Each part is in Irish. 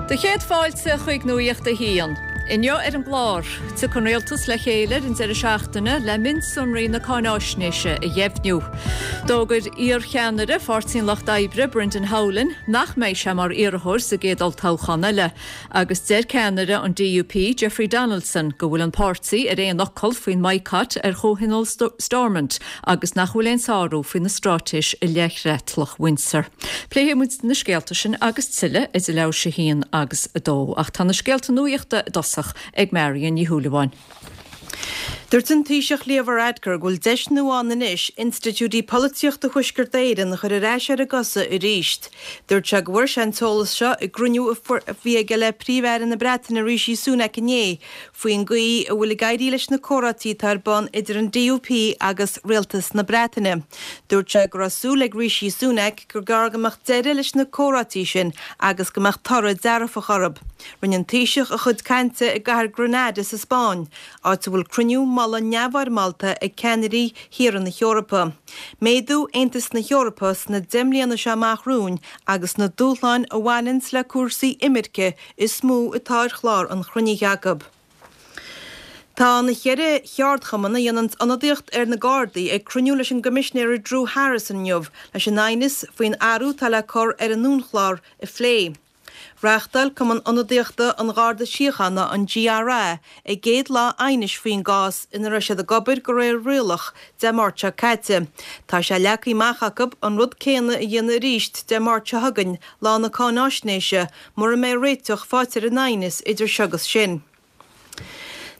Do chéad fáilte chuig Nuacht a hAon. Inniu ar an gclár, tiocfaidh an Rialtas le chéile ar an deireadh seachtaine le mionsonraí na cáináisnéise a dheimhniú. D'fhógair iar-cheannaire Pháirtí an Lucht Oibre, Brendan Howlin, nach mbeidh sé mar iarrthóir sa gcéad olltoghchán eile. Agus deir ceannaire an DUP, Jeffrey Donaldson, go bhfuil an páirtí ar aon fhocal faoin mbaghcat ar Chomhthionól Stormont agus nach bhfuil aon sárú faoina straitéis i leith Chreatlach Windsor. Pléifidh muid na scéalta sin agus tuilleadh idir leathuair tar éis a haon agus a dó. Ach tá na scéalta nuachta i dtosach ag Marion Ní Shúilleabháin. Dúirt an Taoiseach Leo Varadkar go bhfuil deis nua ann anois institiúidí polaitíochta Thuaisceart Éireann a chur ar ais ar a gcosa arís. Dúirt sé go bhfuair sé an t-eolas seo i gcruinniú a bhí aige le Príomh-Aire na Breataine Rishi Sunak inné faoin gcaoi a bhfuil ag éirí leis na comhráití atá ar bun idir an DUP agus Rialtas na Breataine. Dúirt sé go raibh súil ag Rishi Sunak gur gearr go mbeadh deireadh leis na comhráití sin agus go mbeadh toradh dearfach orthu. Rinne an Taoiseach a chuid cainte i gcathair Granada sa Spáinn, áit a bhfuil cruinniú mullaigh neamhfhoirmeálta ag ceannairí thíortha na hEorpa. Méadú Aontas na hEorpa sna 10 mbliana seo amach romhainn agus na dúshláin a bhaineanns le cúrsaí imirce is mó atá ar chlár an chruinnithe acu. Tá na cheithre cheardchumann a dhéananns ionadaíocht ar na Gardaí ag cruinniú leis an gCoimisinéir Drew Harris inniu leis an aighneas faoin athrú atá le cur ar an uainchlár a phlé. Reáchtáil Cumann Ionadaíochta an Gharda Síochána, an GRA, a gcéad lá aighnis faoin gcás ina raibh siad ag obair de réir rialach Dé Máirt seo caite. Tá sé leagtha amach acu an rud céanna a dhéanamh arís Dé Máirt seo chugainn, lá na cáináisnéise, mura mbeidh réiteach faighte ar an aighneas idir seo agus sin.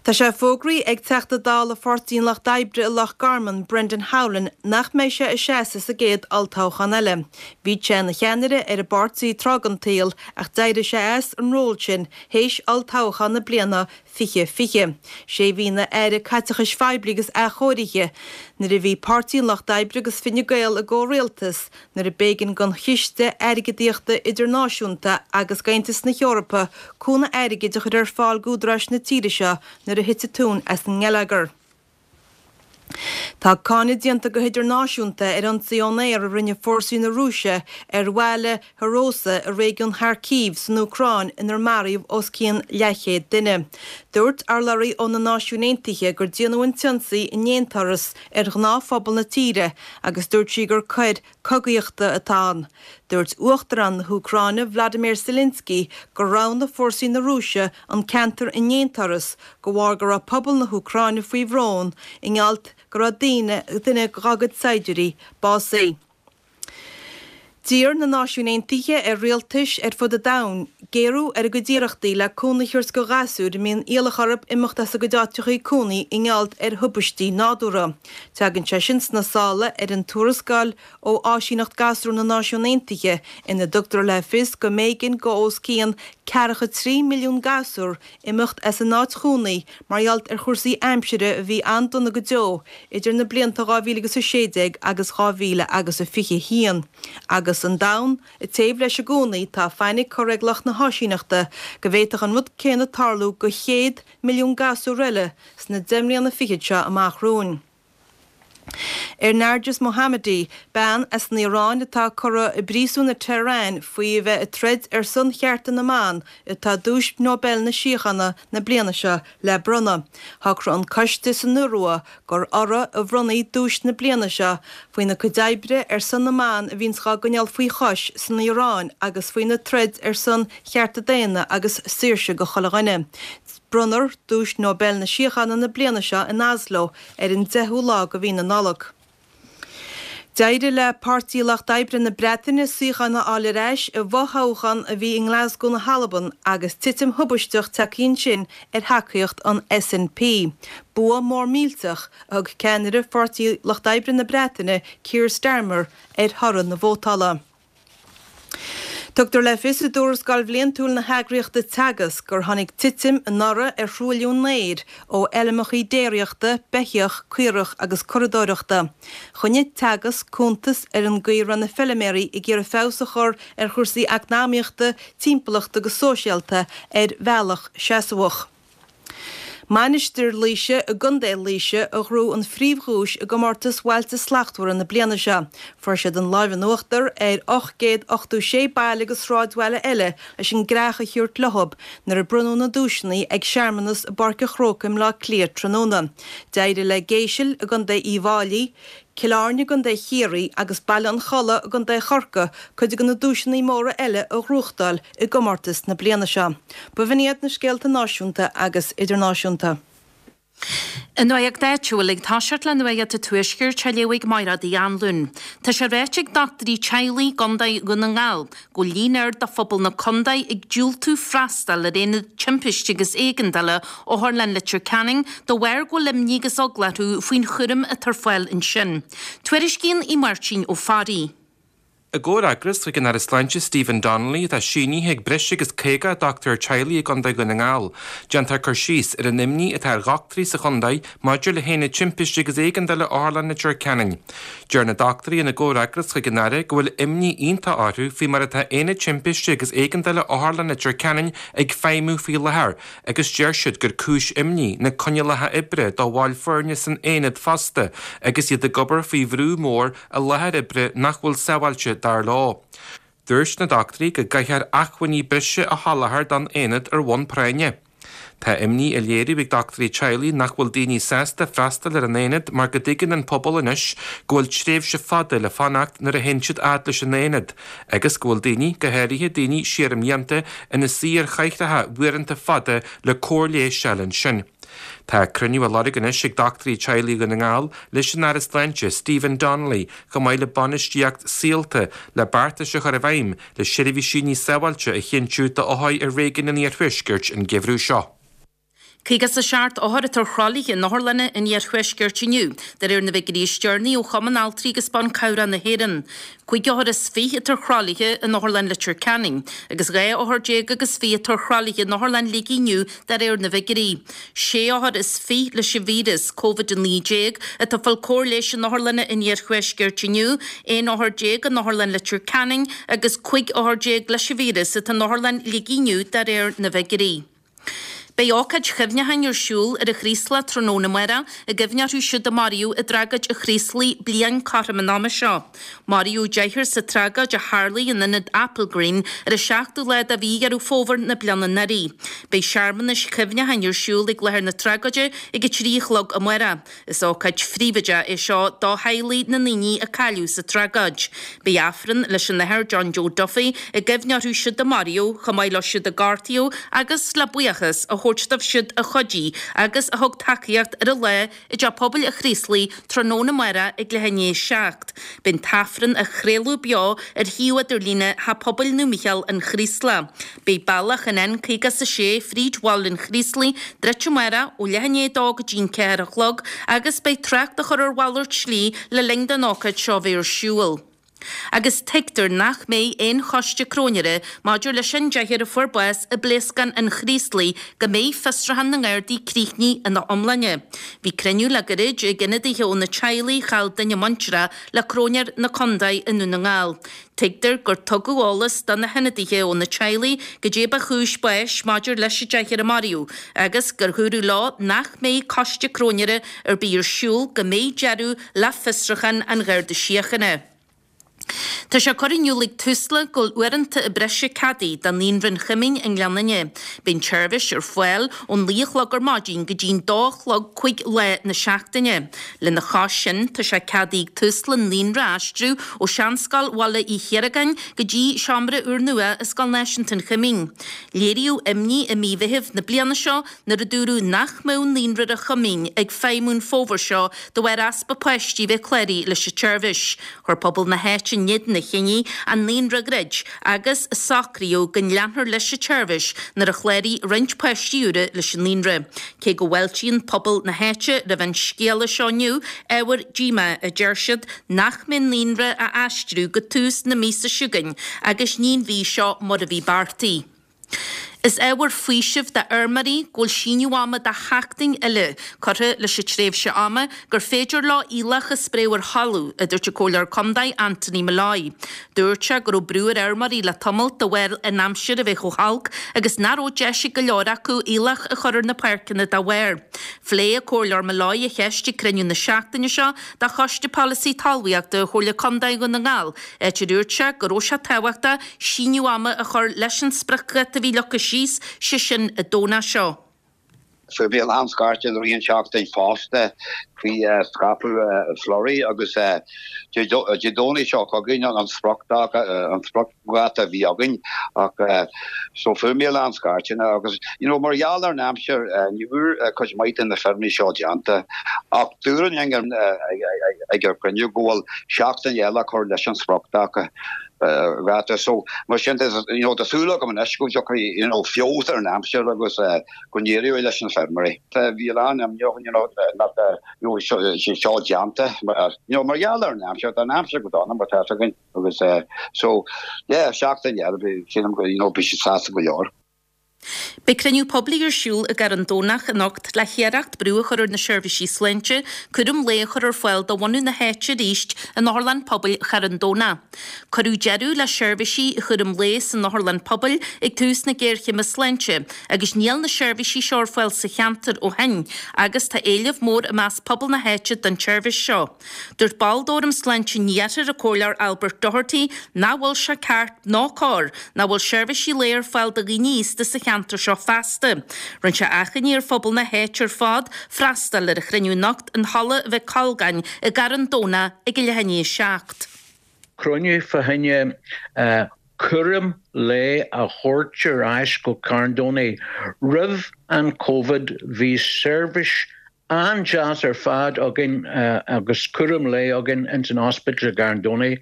Tá sé fógraithe ag Teachta Dála Pháirtí an Lucht Oibre i Loch Garman, Brendan Howlin, nach mbeidh sé ag seasamh sa gcéad olltoghchán eile. Bhí sé ina cheannaire ar an bpáirtí tráth den tsaol ach d'éirigh sé as an ról sin théis olltoghchán na bliana 2020. Sé a bhí ina Aire Caiteachais Phoiblí agus Athchóirithe nuair a bhí Páirtí an Lucht Oibre agus Fine Gael i gcomhrialtas nuair a b'éigean don Chiste Airgeadaíochta Idirnáisiúnta agus d'Aontas na hEorpa cúnamh airgid a chur ar fáil d'údaráis na tíre seo nuair a thit an tóin as an ngeilleagar. Tá cáineadh déanta go hidirnáisiúnta ar ionsaí ón aer a rinne fórsaí na Rúise ar bhaile Hroza i réigiún Kharkiv san Úcráin inar maraíodh os cionn leathchéad duine. Dúirt urlabhraí ó na Náisiúin Aontaithe gur déanadh an t-ionsaí i ndéanturas ar ghnáthphobal na tíre agus dúirt sí gur coir cogaíochta atá ann. Dúirt Uachtarán na hÚcráine Vladimir Zelensky gur roghnaigh fórsaí na Rúise an ceantar i ndéanturas de bharr go raibh pobal na hÚcráine faoi bhrón i ngeall go raibh duine dá gcuid saighdiúirí básaithe. D'iarr na Náisiúin Aontaithe ar rialtais ar fud an domhain géarú ar a gcuid iarrachtaí le cúnamh a thabhairt do ghasúir a mbíonn iallach orthu imeacht as a gcuid áiteachaí cónaí i ngeall ar thubaistí nádúrtha. Tagann sé sin sna sála ar an tuarascáil ó Áisíneacht Gasúr na Náisiún Aontaithe ina dtugtar le fios go mb'éigean do os cionn ceathracha 3 milliún gasúr imeacht as a n-áit chónaí mar gheall ar chúrsaí aimsire a bhí an-dona go deo idir na blianta 2016 agus 2021. Agus an domhan ag téamh leis i gcónaí, tá fainic curtha ag lucht na háisíneachta go bhféadfadh an rud céanna tarlú do chéad milliún gasúr eile sna deich mbliana fichead seo amach romhainn. Ar Narges Mohammadi, bean as an Iaráin atá curtha i bpríosún i Tehran faoi a bheith ag troid ar son chearta na mban, atá Duais Nobel na Síochána na bliana seo le bronnadh. Shocraigh an coiste san Iorua gur uirthi a bhronnfaí duais na bliana seo faoina cuid oibre ar son na mban a bhíonns dhá gcoinneáil faoi chois san Iaráin agus faoina troid ar son chearta daonna agus saoirse go chuile dhuine. Bronnfar Duais Nobel na Síochána na bliana seo in Oslo ar an 10ú lá de mhí na Nollag. D'éirigh le Páirtí Lucht Oibre na Breataine suíochán a fháil ar ais i bhfothoghchán a bhí i nGlasgow na hAlban agus titim thubaisteach tagtha ansin ar thacaíocht an SNP. Bua mór millteach a thug ceannaire Pháirtí Lucht Oibre na Breataine, Keir Starmer, ar thoradh na vótála. Tugtar le fios i dtuarascáil bhliantúil na heagraíochta Teagasc gur tháinig titim anuraidh ar thruailliú an aeir ó fheilmeacha déiríochta, beithíoch, caorach agus curadóireachta. Choinnigh Teagasc cuntas ar an gcaoi a raibh na feiliméaraí ag iarraidh feabhas a chur ar chúrsaí eacnamaíochta, timpeallachta agus sóisialta ar bhealach seasmhach. Mainistir Laoise i gContae Laoise a ghnóthaigh an phríomhdhuais i gcomórtas Bhailte Slachtmhara na bliana seo. Fuair siad an láimh in uachtar ar 886 baile agus sráidbhaile eile leis an gcreach a thabhairt leothab nuair a bronnadh na duaiseanna ag searmanas i bPáirc an Chrócaigh i mBleá Cliath tráthnóna. D'éirigh le Géisil i gContae Uíbh Fháilí, Cill Airne i gContae Chiarraí agus Baile an Chollaigh i gContae Chorcaí cuid de na duaiseanna móra eile a ghnóthachtáil i gcomórtas na bliana seo. B'in iad na scéalta náisiúnta agus idirnáisiúnta. An Nuacht Áitiúil ag toiseacht le Nuacht an Tuaiscirt á léamh ag Mairéad Uí Anluain. Tá sé ráite ag dochtúirí teaghlaigh i gContae Dhún na nGall go bhfuil líon ard de phobal na contae ag diúltú freastal ar Aonad Timpiste agus Éigeandála Otharlann Leitir Ceanainn de bharr go bhfuil imní agus eagla orthu faoin chúram atá ar fáil ansin. Tuairiscíonn Aodh Máirtín Ó Fearraigh. I gcomhfhreagras chuig an Aire Sláinte Stephen Donnelly atá sínithe ag breis agus 50 dochtúir teaghlaigh i gContae Dhún na nGall, déantar cur síos ar an imní atá ar dhochtúirí sa chontae maidir le hAonad Timpiste agus Éigeandála Otharlann Leitir Ceanainn. Deir na dochtúirí ina gcomhfhreagras chuig an Aire go bhfuil imní iontach orthu faoi mar atá Aonad Timpiste agus Éigeandála Otharlann Leitir Ceanainn ag feidhmiú faoi láthair agus deir siad gur cúis imní na coinníollacha oibre do bhaill foirne san aonad fosta agus iad ag obair faoi bhrú mór i láthair oibre nach bhfuil sábháilte dar leo. Dúirt na dochtúirí go gcaithfear acmhainní breise a sholáthar don aonad ar bhonn práinne. Tá imní á léiriú ag dochtúirí teaghlaigh nach bhfuil daoine sásta freastal ar an aonad mar go dtuigeann an pobal anois go bhfuil tréimhse fada le fanacht nuair a théann siad fhad leis an aonad agus go bhfuil daoine, go háirithe daoine siar i mblianta, ina suí ar chathaoireacha uaireanta fada le cóir leighis a fháil ansin. Tá cruinniú á lorg anois ag dochtúirí teaghlaigh Dhún na nGall leis an Aire Sláinte, Stephen Donnelly, chomh maith le bainistíocht Saolta le beartais a chur i bhfeidhm le seirbhísí níos sábháilte a chinntiú d'othair i réigiún an Iarthuaiscirt an geimhreadh seo. 57 othar atá ar thralaithe in otharlanna an iarthuaiscirt inniu, de réir na bhfigiúirí is deireanaí ó Chumann Altraí agus Ban Cabhrach na hÉireann. 25 othar atá ar thralaithe in Otharlann Leitir Ceanainn agus 12 othar agus 20 atá ar thralaithe in Otharlann Shligigh inniu de réir na bhfigiúirí. 26 othar leis an víreas Covid-19 atá ag fáil cóir leighis in otharlanna an iarthuaiscirt inniu, 11 othar in Otharlann Leitir Ceanainn agus 15 othar leis an víreas atá in Otharlann Shligigh inniu de réir na bhfigiúirí. Beidh ócáid chuimhneacháin ar siúl ar an Chraoslach tráthnóna amárach i gcuimhne orthu siúd a maraíodh i dtragóid an Chraoslaigh bliain cothrom an ama seo. Maraíodh deichniúr sa tragóid a tharlaigh in ionad Applegreen ar an seachtú lá de mhí Dheireadh Fómhair na bliana anuraidh. Beidh searmanais chuimhneacháin ar siúl ag láthair na tragóide ag a 3 a chlog amárach. Is ócáid phríobháideach é seo do theaghlaigh na ndaoine a cailleadh sa tragóid. Beidh Aifreann leis an Athair John Joe Duffy i gcuimhne orthu siúd a maraíodh, chomh maith leo siúd a gortaíodh agus le buíochas a thabhairt dóibh siúd a chuidigh agus a thug tacaíocht ar an lá i dTeach Pobail an Chraoslaigh tráthnóna amárach ag leath i ndiaidh a 7. Beidh an tAifreann á chraoladh beo ar shuíomh idirlíne Theach Pobail Naomh Mícheál an Chraoslaigh. Beidh bealach an N56 fríd bhaile an Chraoslaigh druidte amárach ó leath i ndiaidh a dó go dtí'n 4 a chlog agus beidh trácht á chur ar mhalairt slí le linn don ócáid seo bheith ar siúl. Agus tuigtear nach mbeidh aon choiste cróinéara maidir leis an deichniúr a fuair bás i bpléascán an Chraoslaigh go mbeidh fiosrúchán na nGardaí críochnaithe ina iomláine. Bhí cruinniú le gairid ag ionadaithe ó na teaghlaigh a chaill duine muintire le cróinéir na contae i nDún na nGall. Tuigtear gur tugadh eolas do na hionadaithe ó na teaghlaigh goidé ba chúis báis maidir leis an deichniúr a maraíodh agus gur dhúradh leo nach mbeidh coiste cróinéara ar bith ar siúl go mbeidh deireadh le fiosrúchán an Gharda Síochána. Tá sé curtha in iúl ag Tusla go bhfuil uaireanta breise ceadaithe do Naíonra an Choimín i nGleann Fhinne. Beidh an tseirbhís ar fáil ón naoi a chlog ar maidin go dtí'n dó a chlog 5 lá na seachtaine. Lena chois sin, tá sé ceadaithe ag Tusla an naíonra a aistriú ó Seanscoil Bhaile Uí Chiaragáin go dtí seomra úrnua i Scoil Náisiúnta an Choimín. Léiríodh imní i mí Mheithimh na bliana seo nuair a dúradh nach mbeadh Naíonra an Choimín ag feidhmiú an fómhar seo de bharr easpa páistí bheith cláraithe leis an tseirbhís. Chuir pobal na háite in éadan an chinnidh an naíonra a dhruid agus socraíodh go leanfar leis an tseirbhís nuair a chláraigh roinnt páistí úra leis an naíonra. Cé go bhfáiltíonn pobal na háite roimh an scéala seo inniu, ábhar díomá, a deir siad, nach mbeidh an naíonra á aistriú go tús na míosa seo chugainn agus ní an mhí seo mar a bhí beartaithe. Is ábhar faoisimh d'fheirmeoirí go bhfuil síneadh ama de sheachtain eile curtha leis an tréimhse ama gur féidir leo aoileach a spréadh ar thalamh, a dúirt an Comhairleoir Contae Anthony Molloy. Dúirt sé go raibh brú ar fheirmeoirí le tamall de bharr an aimsir a bheith chomh holc agus nach raibh deis ag go leor acu aoileach a chur ar na páirceanna dá bharr. Phléigh an Comhairleoir Molloy an cheist ag cruinniú na seachtaine seo de Choiste Polasaí Talmhaíochta Chomhairle Contae Dhún na nGall, áit a dúirt sé go raibh sé tábhachtach síneadh ama a chur leis an spriocdháta a bhí leagtha síos, sé sin an Domhnach seo. Fuair mé a lán scairteanna i rith an tseachtain fosta faoi scaipeadh Flurry agus Dé Domhnaigh seo chugainn an spriocdháta a bhí againn ach so fuair mé a lán scairteanna agus you know mar gheall ar an aimsir ní bhfuair cuid maith de na feirmí seo déanta ach dúradh linn ag an chruinniú go bhfuil seachtain eile a chur leis an spriocdháta. dháta. So, mar sin de, you know, tá súil agam anois go dtiocfaidh, you know, feabhas ar an aimsir agus go n-éireoidh leis na feirmeoirí. Bhí a lán imní you know, nach you know, sé seo déanta, you know, mar gheall ar an aimsir, tá an aimsir go dona mar tá fhios againn agus so, yeah, seachtain eile, sílim go, you know, beidh siad sásta go leor. Beidh cruinniú poiblí ar siúl i gCarn Domhnach anocht le hiarracht brú a chur ar na seirbhísí sláinte cúram lae a chur ar fáil do bhunadh na háite arís in Otharlann Pobail Charn Domhnach. Cuireadh deireadh le seirbhísí chúram lae san otharlann pobail ag tús na géarchéime sláinte agus níl na seirbhísí seo ar fáil sa cheantar ó shin agus tá éileamh mór i measc pobal na háite don tseirbhís seo. Dúirt ball d'Fhóram Sláinte an Iarthair, an Comhairleoir Albert Doherty, nach bhfuil sé ceart ná cóir nach bhfuil seirbhísí lae ar fáil do dhaoine aosta sa cheantar seo feasta. Rinne sé achainí ar phobal na háite ar fad freastal ar an chruinniú anocht in Halla Mhic Colgáin i gCarn Domhnach ag a leath i ndiaidh a 7. Cruinniú fá choinne cúram lae a thabhairt ar ais go Carn Domhnaigh. Roimh an Covid bhí seirbhís an-deas ar fad againn agus cúram lae againn ins an ospidéal i gCarn Domhnaigh.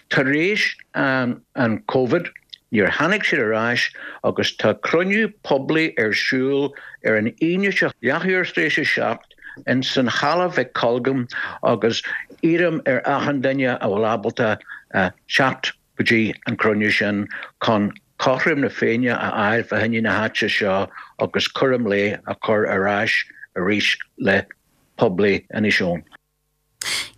Tar éis an Covid níor tháinig siad ar ais agus tá cruinniú poiblí ar siúl ar an Aoine seo leathuair tar éis a 7 ins an Halla Mhic Colgáin agus iarraim ar achan duine a bhfuil ábalta teacht go dtí an cruinniú sin chun cothrom na Féinne a fháil fá choinne na háite seo agus cúram lae a chur ar ais arís le poiblí Inis Eoghain.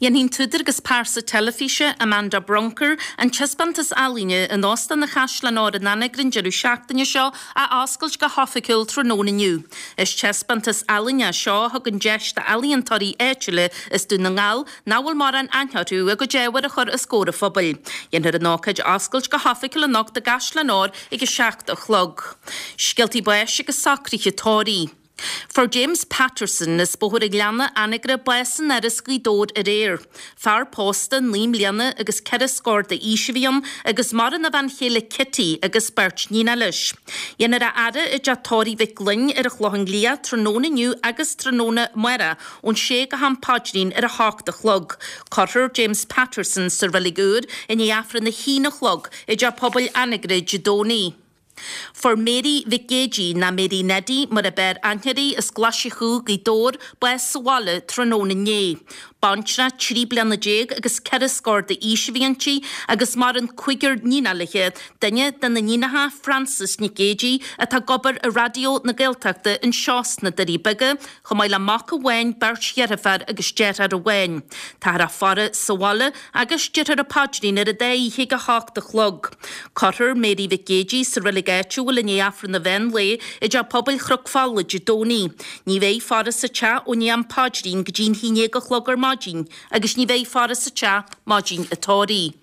Dhéanfaidh an t-údar agus pearsa teilifíse, Amanda Brunker, an taispeántas ealaíne in Óstán an Chaisleáin Óir in Anagaire an deireadh seachtaine seo a oscailt go hoifigiúil tráthnóna inniu. Is taispeántas ealaíne é seo a thugann deis d'ealaíontóirí áitiúla as Dún na nGall nach bhfuil mórán aithne orthu a gcuid ábhair a chur os comhair an phobail. Dhéanfar an ócáid a oscailt go hoifigiúil anocht i gCaisleán Óir ag 7 a chlog. Scéaltaí báis agus socruithe tórraimh. Fuair James Patterson as Bóthar an Ghleanna, Anagaire, bás in Áras Ghaoth Dobhair aréir. Fear pósta 9 mbliana agus ceithre scór d'aois a bhí ann agus maireann a bhean chéile Kitty agus beirt níonacha leis. Dhéanfar a fhaire i dteach tórraimh Mhic Gloinn ar an Chlochán Liath tráthnóna inniu agus tráthnóna amárach ón sé go ham paidrín ar a hocht a chlog. Cuirfear James Patterson sa reilig úr i ndiaidh Aifreann a haon a chlog i dTeach Pobail Anagaire Dé Domhnaigh. Fuair Mary Mhic Géidigh, ná Mary Neddy mar ab fhearr aithne uirthi, as Glaise Chú, Gaoth Dobhair, bás sa bhaile tráthnóna inné. Baintreach 13 bliana agus ceithre scór d'aois a bhí inti agus maireann cúigear níonacha léi, duine de na níonacha, Frances Nic Géidigh, atá ag obair i Raidió na Gaeltachta anseo sna Doirí Beaga, chomh maith le mac amháin, beirt dheirféar agus deartháir amháin. Táthar á faire sa bhaile agus déarfar an paidrín ar an dá oíche ag 8 a chlog. Cuirfear Mary Mhic Géidigh sa reilig áitiúil i ndiaidh Aifreann an mheán lae i dTeach Pobail Chnoc Fola Dé Domhnaigh. Ní bheidh faire sa teach ó ndiaidh an paidrín go dtí an haon déag a chlog ar maidin agus ní bheidh faire sa teach maidin an tórraimh.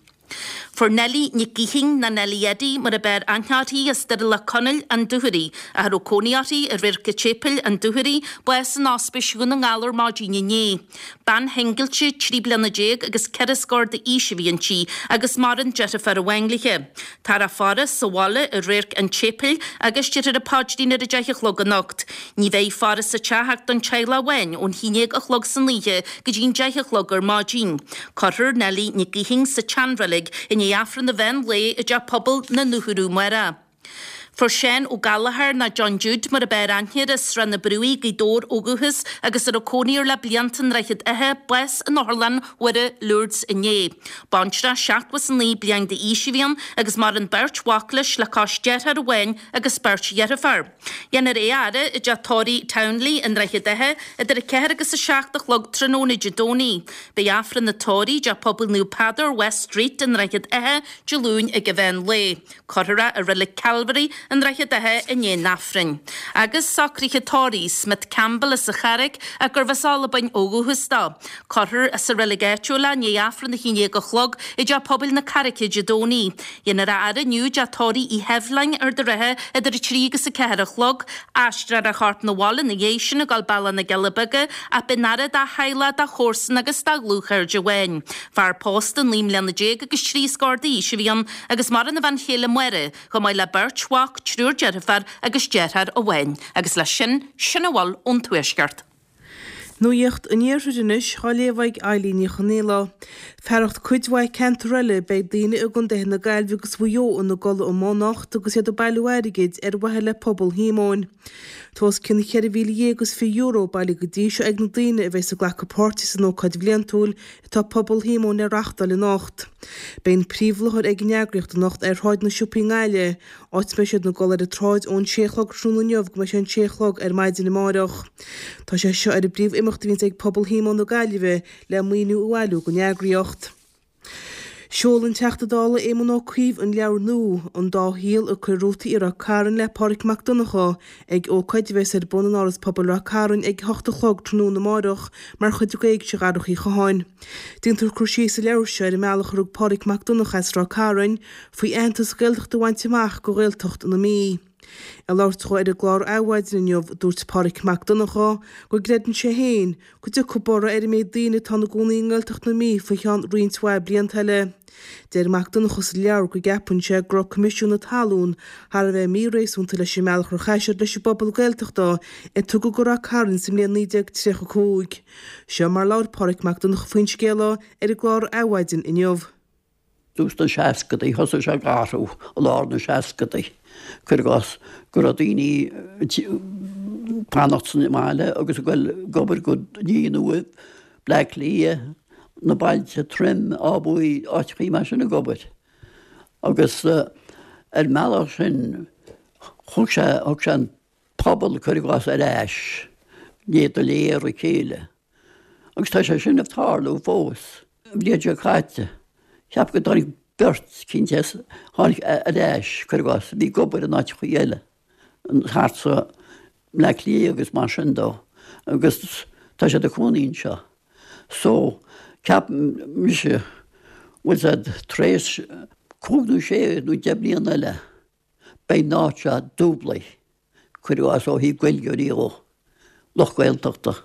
Fuair Nellie Nic Gaoithín, ná Nellie Eddie mar ab fhearr aithne uirthi, as Doire Leac Conaill, An Dúchoraidh, a raibh cónaí uirthi i Radharc an tSéipéil, An Dúchoraidh, bás in Ospís Dhún na nGall ar maidin inné. Bean shingilte, 13 bliana agus ceithre scór d'aois a bhí inti agus maireann deirfiúr amháin léi. Táthar á faire sa bhaile i Radharc an tSéipéil agus déarfar an paidrín ar a deich a chlog anocht. Ní bheidh faire sa teach ach don teaghlach amháin ón haon déag a chlog san oíche go dtí'n deich a chlog ar maidin. Cuirfear Nellie Nic Gaoithín sa tseanreilig i ndiaidh Aifreann an mheán lae i dTeach Pobail na nDúchoradh amárach. Fuair Seán Ó Gallchóir, nó John Jude mar ab fhearr aithne air, as Srath na Brúigh, Gaoth Dobhair ó dhúchas agus a raibh cónaí air le blianta i nDroichead Átha, bás in Otharlann Mhuire, Lourdes inné. Baintreach 79 bliain d'aois a bhí ann agus maireann beirt mhac leis le cois dearthár amháin agus beirt dheirfiúr. Dhéanfar é a fhaire i dteach tórraimh Townley i nDroichead Átha idir 4 agus 7 a chlog tráthnóna Dé Domhnaigh. Beidh Aifreann an tórraimh i dTeach Pobail Naomh Peadar, West Street i nDroichead Átha, Dé Luain ag an mheán lae. Cuirfear é i Reilig Calvary i nDroichead Átha i ndiaidh an Aifrinn. Agus socruithe tórraimh Smith Campbell as an Charraic ach gurbh as Albain ó dhúchas dó. Cuirfear sa reilig áitiúil é i ndiaidh Aifreann 11 a chlog i dTeach Pobail na Carraice Dé Domhnaigh. Dhéanfar a fhaire inniu i dTeach Tórraimh Uí Sheibhleáin, Ard an Rátha, idir 3 agus 4 a chlog. Aistreofar a chorp 'na bhaile ina dhiaidh sin ag dul bealach na gCealla Beaga ach beidh an fhaire dá theaghlach, dá chomharsan agus dá dhlúthchairde amháin. Fear pósta 19 mbliana agus trí scór d'aois a bhí ann agus maireann a bhean chéile Máire, chomh maith le beirt mhac, triúr deirfiúr agus deartháir amháin. Agus leis sin, sin a bhfuil ón Tuaisceart. Nuacht an Iarthair anois á léamh ag Eilín Ní Chonaola. Fearacht cuid mhaith ceantar eile, beidh daoine i gcontaetha na Gaillimhe agus Mhaigh Eo ina gcodladh amuigh anocht agus iad ag bailiú airgid ar mhaithe le pobal Shíomóin. Tá os cionn €14,020 bailithe go dtí seo ag na daoine a bheas ag glacadh páirte san ócáid bhliantúil atá Pobal Shíomóin le reachtáil anocht. Beidh an príomhláthair ag an eagraíocht anocht ar Shráid na Siopaí i nGaillimh, áit a mbeidh siad ag dul ar an tsráid ón sé a chlog tráthnóna inniu go mbeidh sé an sé a chlog ar maidin amáireach. Tá sé seo ar an bpríomh-imeacht a bhíonns ag Pobal Shíomóin na Gaillimhe le maoiniú a bhailiú don eagraíocht. Sheol an Teachta Dála Éamon Ó Cuív an leabhar nua, An Dá Shaol, Ag Cur Rútaí i Ráth Cairn le Pádraig Mac Donncha, ag ócáid a bheas ar bun in Áras Pobail Ráth Cairn ag a hocht a chlog tráthnóna amáireach mar chuid de Éigse Dharach Uí Chatháin. Déantar cur síos sa leabhar seo ar an mbealach a rug Pádraig Mac Donncha as Ráth Cairn faoi aitheantas Gaeltachta a bhaint amach do Ghaeltacht na Mí. Ag labhairt dhó ar an gclár Adhmhaidin inniu, dúirt Pádraig Mac Donncha go gcreideann sé féin go dtiocfaidh borradh ar an méid daoine atá ina gcónaí i nGaeltacht na Mí faoi cheann roinnt mhaith blianta eile. Deir Mac Donncha sa leabhar go gceapann sé go raibh Coimisiún na Talún thar a bheith míréasúnta leis an mbealach ar chaith siad leis an bpobal Gaeltachta a tugadh go Ráth Cairn sa mbliain 1935. Seo mar labhair Pádraig Mac Donncha faoin scéal ar an gclár Adhmhaidin inniu. Tús na seascadaí, thosaigh sé ag athrú i lár na seascadaí, cuir i gcás, go raibh daoine ag fanacht sa mbaile agus ag dul ag obair go Ní an Uaimh, Bleá Cliath, na bailte Troim, Áth Buí, áiteachaí mar sin ag obair. Agus ar an mbealach sin thug sé, thug sé an pobal, cuir i gcás, ar ais, iad go léir a chéile. Agus tá sé sin ag tarlú fós. An bhliain seo caite, cheap go dtáinig beirt cinnte as, tháinig ar ais, cuir i gcás, a bhí ag obair in áiteachaí eile, thart sa mBleá Cliath agus mar sin dó, agus tá siad ag cónaí anseo. So, ceapaim mise, bhfuil 's a'd, tar éis cúig nó sé nó deich mbliana eile, beidh an áit seo dúblaithe. cuir i gcás ó thaobh Gaeilgeoirí dhó, lucht Gaeltachta,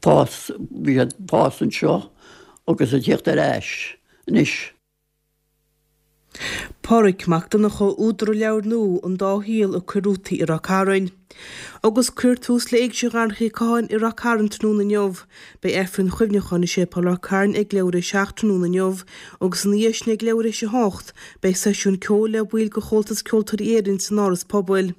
fás, bhí siad ag fás anseo agus ag tíocht ar ais anois. Pádraig Mac Donncha, údar an leabhair nua, An Dá Shaol, Ag Cur Rútaí i Ráth Cairn. Agus cuirfear tús le Éigse Dharach Uí Catháin i Ráth Cairn tráthnóna inniu. Beidh Aifreann Chuimhneacháin i Séipéal Ráth Cairn ag leathuair théis a 7 tráthnóna inniu agus ina dhiaidh sin ag leathuair théis a 8 beidh seisiún ceoil le baill de Chomhaltas Ceoltóirí Éireann san Áras Pobail.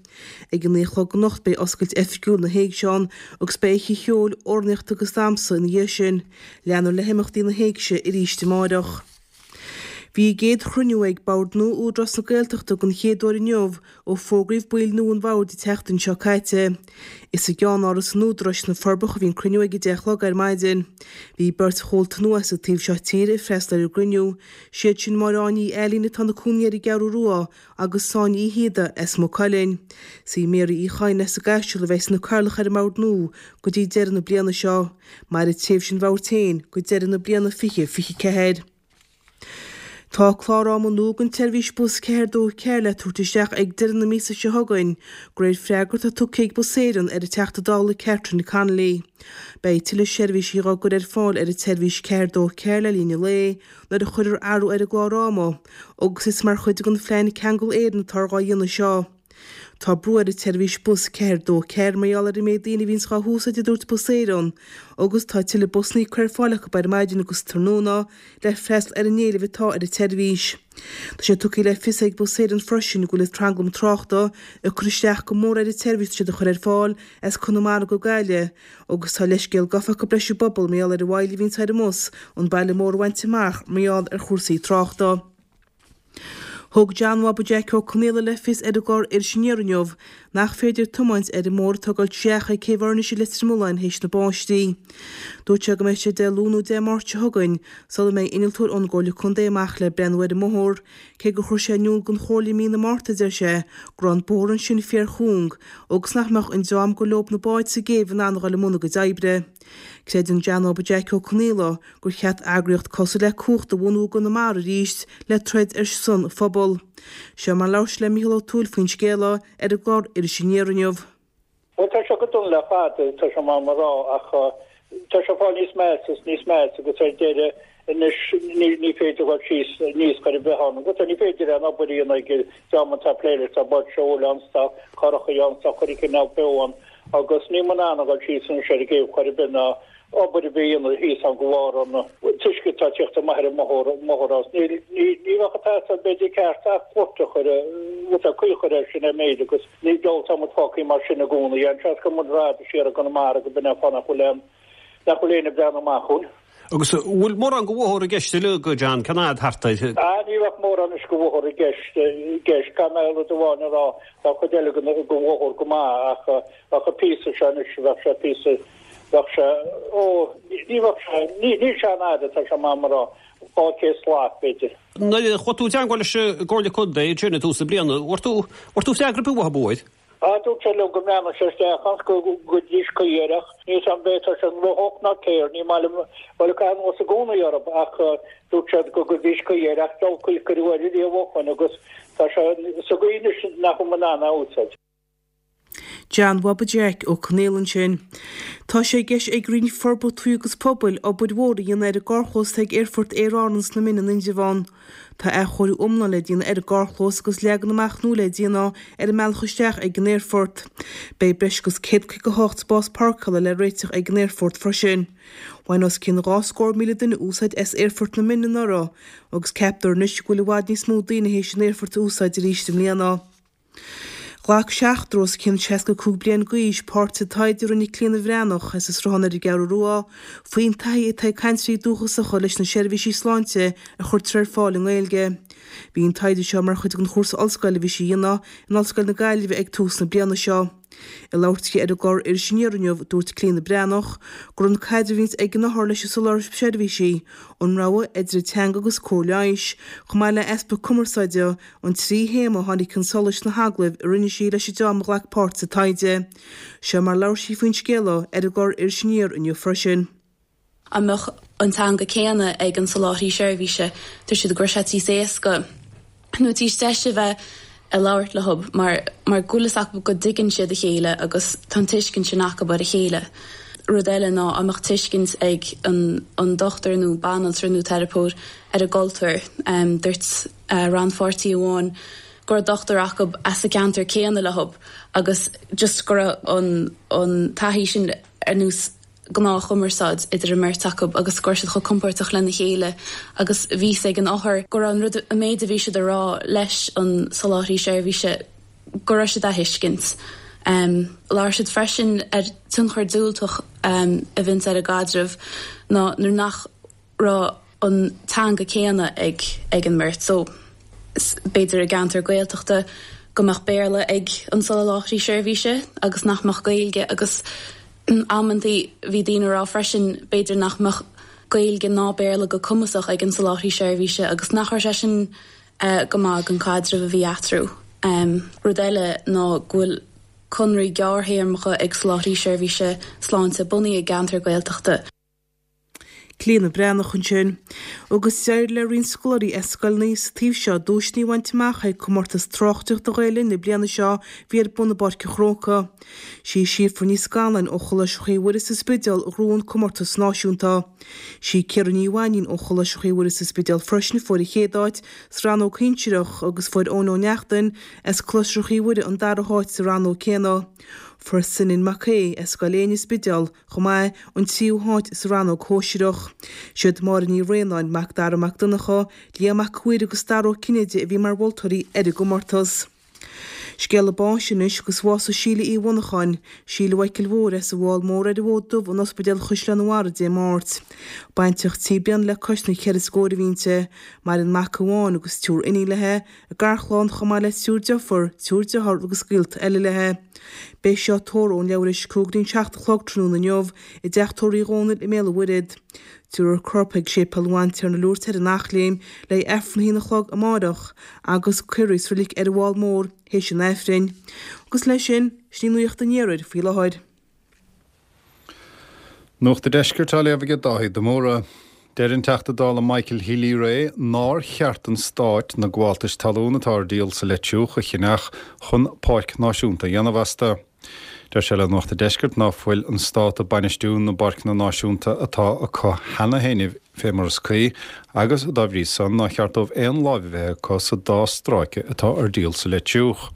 Ag a 9 a chlog anocht beidh oscailt oifigiúil na hÉigse ann agus beidh oíche cheoil, amhránaíochta agus damhsa ina dhiaidh sin. Leanfar le himeachtaí na hÉigse arís amáireach. Bhí a gcéad chruinniú ag Bord nua Údarás na Gaeltachta den chéad uair inniu ó fógraíodh baill nua an bhoird an tseachtain seo caite. Is i gceannáras an Údaráis sna Forbacha a bhí an cruinniú ag 10 a chlog ar maidin. Bhí beirt chomhalta nua as an taobh seo tíre ag freastal ar an gcruinniú, siad sin Máire Áine Uí Ailín atá ina cónaí ar an gCeathrú Rua agus Sonia Uí Shíoda as Maigh Cuilinn. Is í Mary Uí Chadhain as an gCaiseal a bheas ina cathaoirleach ar an mbord nua go dtí deireadh na bliana seo. Mairfidh tréimhse an bhoird féin go deireadh na bliana 2024. Tá clár ama nua don tseirbhís bus 424 le tabhairt isteach ag deireadh na míosa seo chugainn, de réir freagra atá tugtha ag Bus Éireann ar an Teachta Dála Catherine Connolly. Beidh tuilleadh seirbhísí á gcur ar fáil ar an tseirbhís 424 le linn an lae, nuair a chuirfear athrú ar an gclár ama, agus is mar chuid den phlean Ceangal Éireann atáthar dhá dhéanamh seo. Tá brú ar an tseirbhís bus 4 2 4 mar gheall ar an méid daoine a bhíonns dhá húsáid a dúirt Bus Éireann agus tá tuilleadh busanna curtha ar fáil acu ar maidin agus tráthnóna le freastal ar an éileamh atá ar an tseirbhís. Tá sé tugtha le fios ag Bus Éireann freisin go bhfuil an tranglam tráchta ag cur isteach go mór ar an tseirbhís atá siad a chur ar fáil as Conamara go Gaillimh agus tá leithscéal gafa acu leis an bpobal mar gheall ar an mhoill a bhíonns ar an mbus an baile mór a bhaint amach mar gheall ar chúrsaí tráchta. Thug John Bhaba Jeaic Ó Conaola le fios ar an gclár Iris Aniar inniu nach féidir tiomáint ar an mbóthar atá ag dul isteach ag Céibh Fhoirnis i Leitir Mealláin théis na báistí. Dúirt sé go mbeidh sé Dé Luain nó Dé Máirt seo chugainn sula mbeidh innealtóir ón gComhairle Contae amach le breathnú ar an mbóthar, cé gur chuir sé in iúl don Chomhairle i mí na Márta, a deir sé, go raibh an bóthar ansin fíorchúng agus nach mbeadh an dream gur leob na báid sa gcéibh in ann a dhul i mbun a gcuid oibre. Creideann John Bhaba Jeaic Ó Conaola gur cheart eagraíocht cosúil le Cumhacht a bhunú i gConamara arís le troid ar son an phobail. Seo mar a labhair sé le Mícheál Ó Tuathail faoin scéal ar an gclár Iris Aniar inniu. Bhuel, tá sé go dona le fada, tá sé maith mo rá, ach tá sé ag fáil níos measa is níos measa agus ar deireadh anois ní féidir dhul síos aníos chor ar bith ann. Agus ní féidir aon obair a dhéanamh ag an dream atá ag plé leis, tá báid seoil ann, tá curachaí ann, tá chuile chineál beo ann agus níl muid in ann a dhul síos anois ar an gcéibh chor ar bith ná obair a bith a dhéanamh thíos ann de bharr an t-uisce atá ag tíocht amach ar an mbóthar as. Ní bheadh ag teastáil b'fhéidir ceart ach gort a chur, rud ar caoi a chur air sin ar méid agus ní dóigh tá muid fágtha mar sin i gcónaí. An seans go muid rad siar i gConamara go b'in é an fáth nach bhfuil aon nach bhfuil éinne ag breathnú amach chugainn. Agus an bhfuil mórán de bhóthar i gceist uilig, a John, cén fhad thart air? Ah, ní bheadh mórán anois de bhóthar i gceist, i gceist. Caithfidh mé rud amháin a rá, tá cuid eile den bhóthar go maith ach bheadh an píosa seo anois, bheadh sé píosa, bheadh sé, ó, ní bheadh sé, ní, níl sé an-fhada, tá sé maith mo rá, 200 slat, b'fhéidir. Nuair a chuaigh tú i dteangmháil leis an gComhairle Contae ansin i dtús na bliana, bhfuair tú, bhfuair tú freagra ar bith uathu air? Ah, dúirt sé liom go mbreathnódh sé isteach ann go gcuirfidís caoi air ach níl 's a'm b'fhéidir tá sé gnóthach ná céard, ní maith liom, bhuel ag caitheamh anuas i gcónaí orthu ach dúirt siad go gcuirfidís caoi air ach diabhal caoi a cuireadh air riamh ó shoin agus tá sé sa gcaoi anois nach bhfuil muid in ann é a úsáid. John Bhaba Jeaic Ó Conaola ansin. Tá sé i gceist ag Roinn Forbartha Tuaithe agus Pobail obair mhór a dhéanamh ar an gcarrchlós atá ag Aerfort Aer Árann sna Mine in Indreabhán. Tá athchóiriú iomlán le déanamh ar an gcarrchlós agus leagan amach nua le déanamh ar an mbealach isteach ag an aerfort. Beidh breis agus 158 spás páirceála le réiteach ag an aerfort freisin. Bhain os cionn 200,000 duine úsáid as Aerfort na Mine anuraidh agus ceaptar anois go bhfuil i bhfad níos mó daoine théis an aerfort a úsáid arís i mbliana. Ghlac seachtar os cionn 65 bliain d'aois páirt sa taighde a rinne Clíona Bhreathnach as an Sruthán ar an gCeathrú Rua faoin taithí atá ag cainteoirí dúchasacha leis na seirbhísí sláinte a chuirtear ar fáil i nGaeilge. Bhí an taighde seo mar chuid den chúrsa ollscoile a bhí sí a dhéanamh in Ollscoil na Gaillimhe ag tús na bliana seo. Ag labhairt di ar an gclár Iris Aniar inniu, dúirt Clíona Breathnach gur an caidreamh a bhíonns ag an othar leis an soláthraí seirbhísí, an rogha idir an teanga agus cóir leighis, chomh maith le easpa cumarsáide, An trí théama a tháinig chun solais sna hagallaimh a rinne sí leis an dream a ghlac páirt sa taighde. Seo mar a labhair sí faoin scéal ar an gclár Iris Aniar inniu freisin. An mbeadh an teanga céanna ag an soláthraí seirbhíse, dúirt siad go raibh sé níos éasca nó níos deise bheith ag labhairt leo mar mar go bhfuil fhios acu go dtuigeann siad a chéile agus tá an tuiscint sin acu ar a chéile. Rud eile ná an mbeadh tuiscint ag an an dochtúir nó banaltra nó teiripeoir ar an gcultúr. Dúirt. rannpháirtí amháin go raibh dochtúir acu as an gceantar céanna leo agus just go raibh an an taithí sin ar nós gnáthchumarsáid idir an mbeirt acu agus go raibh siad chomh compordach lena chéile agus bhí fhios ag an othar go raibh an rud an méid a bhí siad a rá leis an soláthraí seirbhíse go raibh siad á thuiscint. Labhair siad freisin ar tionchar diúltach a bhíonns ar an gcaidreamh ná nuair nach raibh an teanga céanna ag ag an mbeirt so b'fhéidir i gceantar Gaeltachta go mbeadh Béarla ag an soláthraí seirbhíse agus nach mbeadh Gaeilge agus amantaí bhí daoine ag rá freisin b'fhéidir nach mbeadh Gaeilge ná Béarla go cumasach ag an soláthraí seirbhíse agus nach raibh sé sin go maith don caidreamh a bhí eatarthu. Rud eile ná go bhfuil conraí gearrthéarmacha ag soláthraí seirbhíse sláinte bunaithe i gceantar Gaeltachta. Clíona Breathnach ansin. Agus d'éirigh le roinnt scoláirí as scoileanna sa taobh seo duaiseanna a bhaint amach ag Comórtas Tráchtaireachta Ghael Linn na bliana seo a bhí ar bun i bPáirc an Chrócaigh. Sí Síofra Ní Scanláin ó Choláiste Chroí Mhuire sa Spidéal a ghnóthaigh an comórtas náisiúnta. Sí Ciara Ní Mhainín ó Choláiste Chroí Mhuire sa Spidéal freisin a fuair an chéad áit sa rannóg shinsearach agus fuair Eoin Ó Neachtain as Coláiste Chroí Mhuire an dara háit sa rannóg céanna. Fuair Senan Mac Aodha as Scoil Éinne Spidéal chomh maith, an tríú háit sa rannóg shóisearach. Siad Máire Ní Bhraonáin, Mac Dara Mac Donncha, Liam Mac Uidhir agus Dara Ó Cinnéide a bhí mar mholtóirí ar an gcomórtas. Scéala báis anois agus bhásaigh Síle Uí Mhonacháin, Síle Mhichael Mhóir as an bhFál Mór ar an bhFód Dubh in Ospidéal Chaisleán an Bharraigh Dé Máirt. Baintreach trí bliana le cois na cheithre scóir a bhí inti. Maireann mac amháin agus triúr iníon léi, A garchlann chomh maith le triúr deirfiúr, triúr dearthár agus gaolta eile léi. Beidh sí á tórramh ón leathuair tar éis a 5 go dtí an 7 a chlog tráthnóna inniu i dTeach Tórraimh Uí Dhónaill i mBéal an Mhuirthead. Tabharfar a corp chuig Séipéal an Bhantiarna Lourdes ar an Eachléim le haghaidh Aifreann a haon a chlog amárach agus cuirfear í sa reilig ar an bhFál Mór théis an Aifrinn. Agus leis sin, sin í Nuacht an Iarthair faoi láthair. Nuacht an Deiscirt á léamh aige Dáithí de Mórdha. Deir an Teachta Dála Michael Healy-Rae nár cheart don Stát na gabháltais talún atá ar díol sa Leitriúch a cheannach chun páirc náisiúnta a dhéanamh astu. Deir sé le Nuacht an Deiscirt ná fuil an Stát ag bainistiú na bpáirceanna náisiúnta atá acu cheana féin fé mar is cuí agus, dá bhrí san, nár cheart dóibh aon láimh a bheith acu sa dá stráice atá ar díol sa Leitriúch.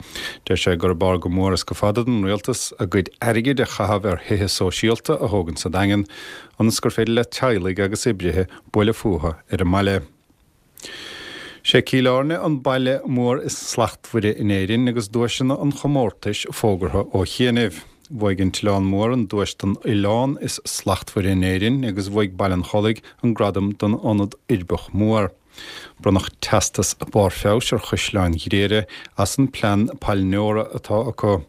Deir sé gurb fhearr go mór is go fada don Rialtas a gcuid airgid a chaitheamh ar thithe sóisialta a thógaint sa Daingean ionas gur féidir le teaghlaigh agus oibrithe bualadh fúthu ar an mbaile. Sé Cill Airne an baile mór is slachtmhaire in Éirinn agus duaiseanna an chomórtais fógartha ó chianaibh. Bhuaigh an tOileán Mór an duais don oileán is slachtmhaire in Éirinn agus bhuaigh Baile an Chollaigh an gradam don ionad uirbeach mór. Bronnadh teastas barr feabhais ar Chaisleán Ghriaire as an plean pailneora atá acu.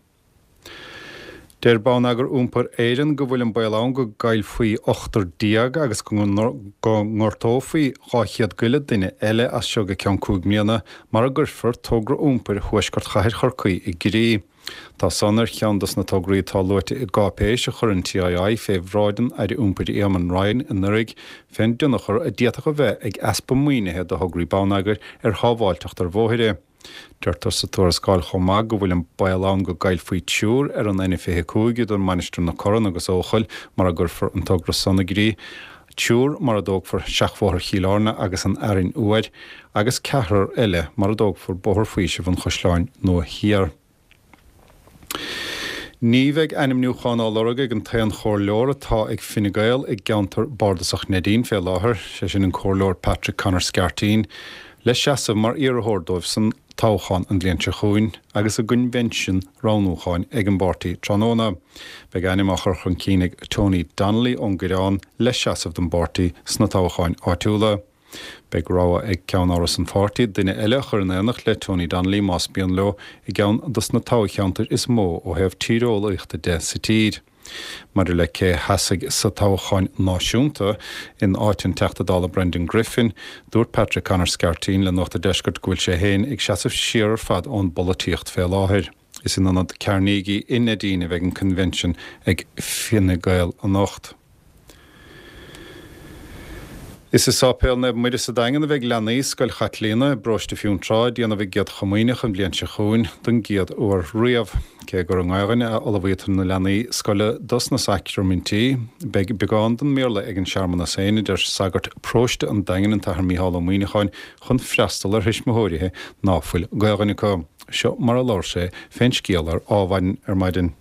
Deir Bonneagar Iompair Éireann go bhfuil an baol ann go gcaillfí ochtar déag agus go ngortófaí 200 go leith duine eile as seo go ceann 5 mbliana mara gcuirfear togra iompair Thuaisceart Chathair Chorcaí i gcrích. Tá san ar cheann dos na tograí atá luaite i gcáipéis a chuir an TII fé bhráid an Aire Iompair Éamon Ryan anuraidh fén dtionchar a d'fhéadfadh a bheith ag easpa maoinithe do thograí bonneagair ar shábháilteacht ar bhóithre. Deirtear sa tuarascáil chomh maith go bhfuil an baol ann go gcaillfí triúr ar an N25 idir Mainistir na Corann agus Eochaill mara gcuirfear an togra san i gcrích, triúr mara dtógfar Seachbhóthar Chill Airne agus an Fhearainn Fhuair, agus ceathrar eile mara dtógfar Bóthar Faoisimh an Chaisleáin Nua Thiar. Ní bheidh ainmniúchán á lorg ag an t-aon chomhairleoir atá ag Fine Gael i gceantar bardasach Neidín fé láthair, sé sin an Comhairleoir Patrick Conor Scarteen, le seasamh mar iarrthóir dóibh san toghchán an bhliain seo chugainn agus a gcoinbhinsean roghnúcháin ag an bpáirtí tráthnóna. Beidh a ainm á chur chun cinn ag Tony Donnelly ón gCoireán le seasamh don bpáirtí sna toghcháin áitiúla. Beidh rogha ag ceann-áras an pháirtí duine eile a chur in éineacht le Tony Donnelly más mian leo i gceann dos na toghcheantair is mó ó thaobh tíreolaíochta de sa tír. Maidir le cé a sheasfaidh sa toghchán náisiúnta in áit an Teachta Dála Brendan Griffin, dúirt Patrick Conor Scarteen le Nuacht a' Deiscirt go bhfuil sé féin ag seasamh siar ar fad ón bpolaitíocht fé láthair. Is in Ionad Carnegie i Neidín a bheidh an coinbhinsean ag Fine Gael anocht. Is i Sáipéal Naomh Muire sa Daingean a bheidh leanaí Scoil Chaitlíona i bparóiste Fionntrá ag déanamh a gCéad Chomaoineach an bhliain seo chugainn don gcéad uair riamh. Cé gur i nGaelainn a ullmhaítear na leanaí scoile dos na sacraimintí, beidh beagán den mBéarla ag an searmanas féin, a deir sagart paróiste an Daingin, an tAthair Mícheál Ó Muíneacháin, chun freastal ar thuismitheoirithe ná fuil Gaelainn acu. Seo mar a labhair sé fén scéal ar Adhmhaidin ar maidin.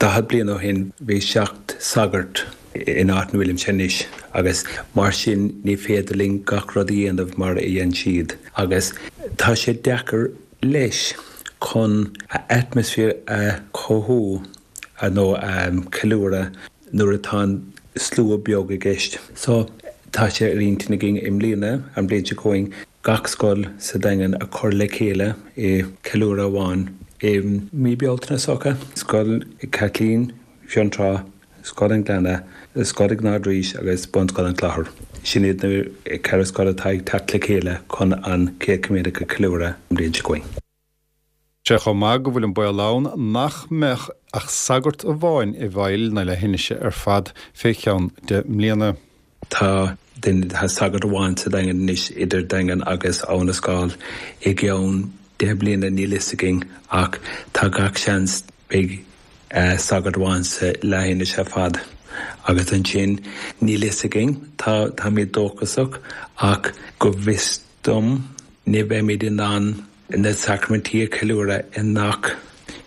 40 bliain ó shin bhí 7 sagart in áit ina bhfuilimse anois agus mar sin ní féidir linn gach rud a dhéanamh mar a dhein siad agus tá sé deacair leis chun atmaisféar a chothú nó a ceiliúradh nuair atá an slua beag i gceist. So tá sé ar intinn againn i mbliana, an bhliain seo chugainn, gach scoil sa Daingean a chur le chéile i ceiliúradh amháin i mí Bealtaine is dócha. Scoil Chaitlín, Fionntrá, Scoil an Ghleanna, Scoil an Ardrís agus Bunscoil an Chlochair. Sin iad na ceithre scoil atá ag teacht le chéile chun an Chéad Chomaoineach a cheiliúradh an bhliain seo chugainn. Sé chomh maith go bhfuil an baol ann nach mbeadh ach sagart amháin i bhFeighil na leithinise ar fad fé cheann deich mbliana. Tá duine, tá sagart amháin sa Daingean anois, idir Daingean agus Abha na Scáil. I gceann 10 bliana níl fhios againn ach tá gach seans beidh sagart amháin sa leathinis ar fad. Agus ansin níl fhios againn, tá, táimid dóchasach ach go bhfios dom ní bheimid in ann na sacraimintí a cheiliúradh i ngach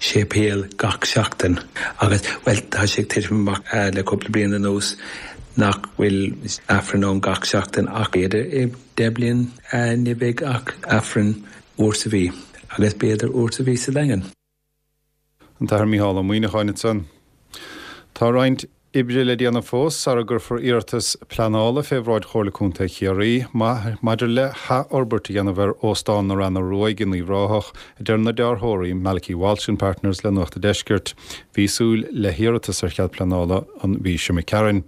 séipéal gach seachtain agus, bhuel, tá sé ag titim amach le cúpla bliain anuas nach bhfuil Aifreann ann gach seachtain ach b'fhéidir i 10 bliain ní bheidh ach Aifreann uair sa mhí agus b'fhéidir uair sa mhí sa Daingean. An tAthair Mícheál Ó Muíneacháin ansan. Tá roinnt oibre le déanamh fós sara gcuirfear iarratas pleanála fé bhráid Chomhairle Contae Chiarraí maidir le hathfhorbairt a dhéanamh ar Óstán na Reanna Ruaidh in Uíbh Ráthach, a deir na dearthóirí Malachy Walsh and Partners le Nuacht a' Deiscirt. Bhí súil le hiarratas ar chead pleanála an mhí seo imigh tharainn.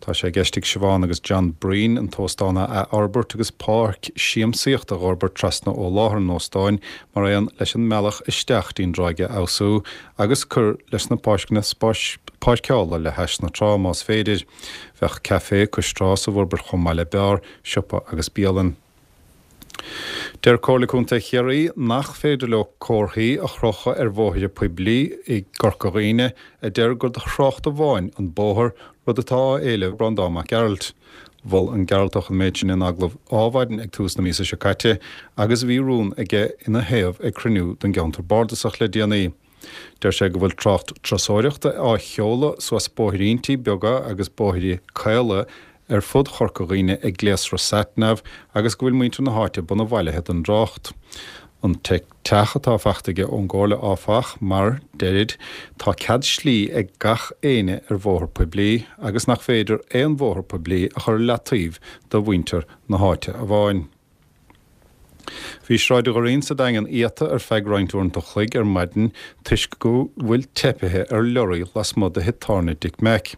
Tá sé i gceist ag Siobhán agus John Breen an t-óstán a athfhorbairt agus páirc siamsaíochta a dh'fhorbairt trasna ó láthair an óstáin mar aon leis an mbealach isteach dtí'n dtráigh a fheabhsú agus cur leis na páirceanna spáis páirceála le hais na trá más féidir. Bheadh caifé cois trá sa bhforbairt chomh maith le beár, siopa agus bialann. Deir Comhairle Contae Chiarraí nach féidir leo comharthaí a chrochadh ar bhóithre poiblí i gCorca Dhuibhne a deir gur do thrácht amháin an bóthar, rud atá á éileamh ag Breandán Mac Gearailt. Mhol an Gearaltach an méid sin in agallamh Ádhmhaidin ag tús na míosa seo caite agus bhí rún aige ina thaobh ag cruinniú den gceantar bardasach le déanaí. Deir sé go bhfuil trácht turasóireachta á sheoladh suas bóithríntí beaga agus bóithre caola ar fud Chorca Dhuibhne ag gléasra SatNav agus go bhfuil muintir na háite bunabhailithe don dtrácht. An teach atá fachta aige ón gComhairle áfach mar, deirid, tá cead slí ag gach éinne ar bhóthar poiblí agus nach féidir aon bhóthar poiblí a chur i leataobh do mhuintir na háite amháin. Bhí Sráid Dhoirín sa Daingean iata ar feadh roinnt uaireanta an chloig ar maidin toisc go bhfuil teipithe ar leoraí lasmuigh de thigh tábhairne Dick Mack.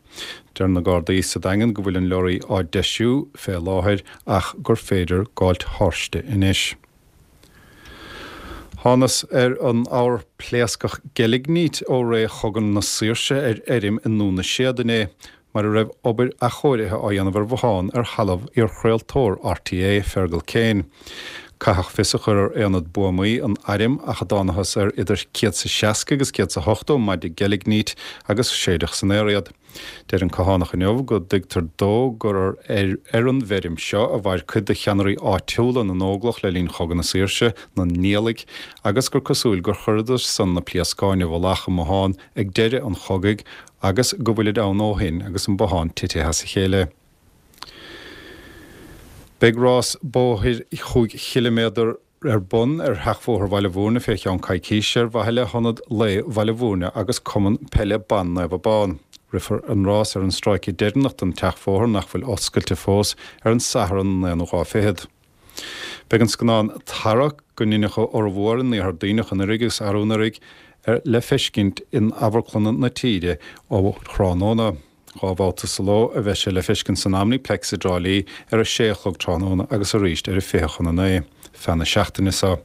Deir na Gardaí sa Daingean go bhfuil an leoraí á deisiú fé láthair ach gur féidir gabháilt thairsti anois. Thánas ar an abhar pléascach geilignít ó ré Chogadh na Saoirse ar fheirm i nDún na Séad inné. mar a raibh obair athchóirithe á dhéanamh ar bhothán ar thalamh iarchraoltóir RTÉ, Fergal Kane. Caitheadh fios a chur ar aonad buamaí an airm ach a dtánathas ar idir 160 agus 180 maide geilignít agus séideadh san aer iad. Deir an Cathánach inniu go dtuigtear dó gur ar ar an bhfeirm seo a mhair cuid de cheannairí áitiúla na nÓglach le linn Chogadh na Saoirse, na Niallaigh, agus gur cosúil gur chuireadar san na pléascáin i bhfolach i mbothán ag deireadh an chogaidh agus go bhfuilid ann ó shin agus an bothán titithe as a chéile. Beidh rás bóthair chúig chiliméadar ar bun ar Sheachbhóthar Bhaile Bhúirne fé cheann coicíse ar mhaithe le hIonad Lae Bhaile Bhúirne agus Cumann Peile Ban Naomh Abán. Rithfear an rás ar an stráice deireanach den tseachbhóthar nach bhfuil oscailte fós ar an Satharn an aonú lá fichead. Beidh an scannán Tarrac, go ndeineadh a fhormhór in Iarthar Duibhneach anuraidh agus arú anuraidh, le feiscint in amharclanna na tíre ó thráthnóna. 2 bhabhta sa ló a bheidh sé le feiscint san Omniplex i dTrá Lí ar a sé a chlog tráthnóna agus arís ar a 8:40 feadh na seachtaine seo.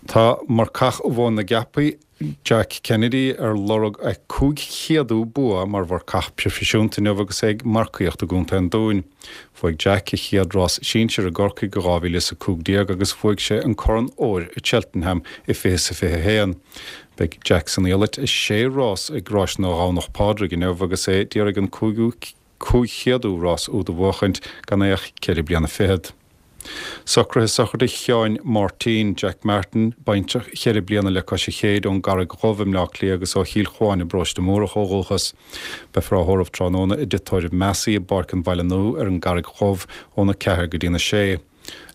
Tá marcach Mhóin na gCeapaí, Jack Kennedy ar lorg a 500ú bua mar mharcach proifisiúnta inniu agus é ag marcaíocht i gContae an Dúin. Bhuaigh Jack a chéad rás sinsir i gCorcaigh i 2015 agus bhuaigh sé an Corn Óir i Cheltenham i 2021. Beidh Jack san iallait i sé rás ag Ráiseanna Dhomhnach Pádraig inniu agus é d'iarraidh an cúigiú 500ú rás úd a bhuachaint gan é ach ceithre bliana fichead. Socruithe sochraide Sheáin Máirtín, Jack Martin, baintreach cheithre bliana le cois a chéid ón gCarraig Dhubh i mBleá Cliath agus ó Chill Chuáin i bParóiste Múrach ó dhúchas. Beifear á thórramh tráthnóna i dTigh Tórraimh Massey i bPáirc an Bhaile Nua ar an gCarraig Dhubh óna 4 go dtína 6.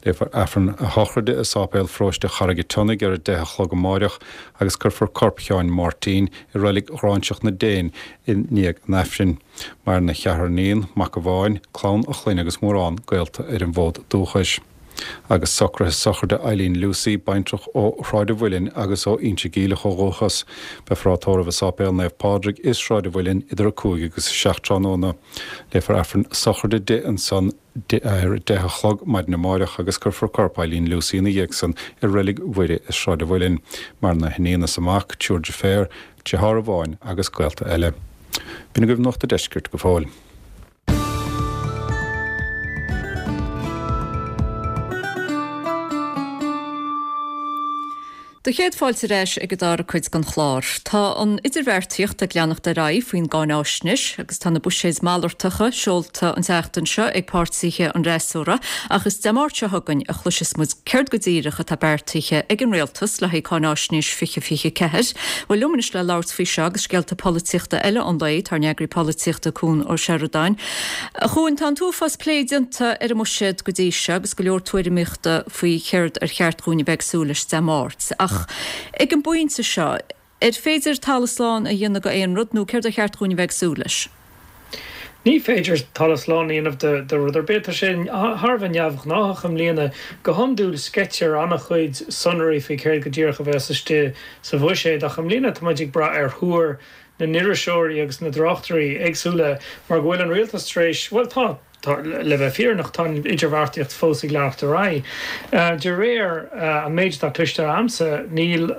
Léifear Aifreann a shochraide i Sáipéal Pharóiste Charraig an tSionnaigh ar 10 a chlog amáireach agus cuirfear corp Sheáin Mháirtín i Reilig Ghráinseach na Déan i ndiaidh an Aifrinn. Maireann a cheathrar iníon, mac amháin, clann a chlainne agus mórán gaolta ar an bhfód dúchais. Agus socruithe sochraide Eileen Lucey, baintreach ó Shráid an Mhuilinn agus ó Inse Geimhleach ó dhúchas. Beifear á tórramh i Sáipéal Naomh Pádraig i Sráid an Mhuilinn idir 5 agus 7 tráthnóna. Léifear Aifreann sochraide di ansan ar a 10 a chlog maidin amáireach agus cuirfear corp Eileen Lucey ina dhiaidh san i Reilig Mhuire i Sráid an Mhuilinn. Maireann a hiníon is a mac, triúr deirféar, deartháir amháin agus gaolta eile. B'in agaibh Nuacht a' Deiscirt go fóill. Do chéad fáilte ar ais ag an dara cuid den chlár. Tá an idirbheartaíocht ag leanacht ar aghaidh faoin gcáináisnéis agus tá na buiséid malartacha seolta an tseachtain seo ag páirtithe an fhreasúra ach is Dé Máirt seo chugainn a chloisfeas muid céard go díreach atá beartaithe ag an Rialtas le haghaidh cáináisnéis 2024. Bhuel liom anois le labhairt faoi seo agus scéalta polaitíochta eile an lae tá ár n-eagraí polaitíochta Cuan Ó Seireadáin. A Chuain, tá an t-uafás plé déanta ar an mbuiséad go dtí seo agus go leor tuairimíochta faoi chéard ar cheart dhúinn a bheith ag súil leis Dé Máirt. Ach ag an bpointe seo, ar féidir talamh slán a dhéanamh de aon rud nó céard ar cheart dhúinn a bheith ag súil leis? Ní féidir talamh slán a dhéanamh de rud ar bith. Tá sé thar a bheith neamhghnáthach i mbliana. Go hiondúil sceitear an-chuid sonraí faoi céard go díreach a bheas istigh sa bhuiséad ach i mbliana tá muid ag brath ar thuar na n-iriseoirí agus na dtráchtairí éagsúla mar go bhfuil an rialtas tar éis, bhuel tá, Tá, le bheith fírinneach, tá an idirbheartaíocht fós ag leanacht ar aghaidh. De réir an méid atá cloiste a'msa, níl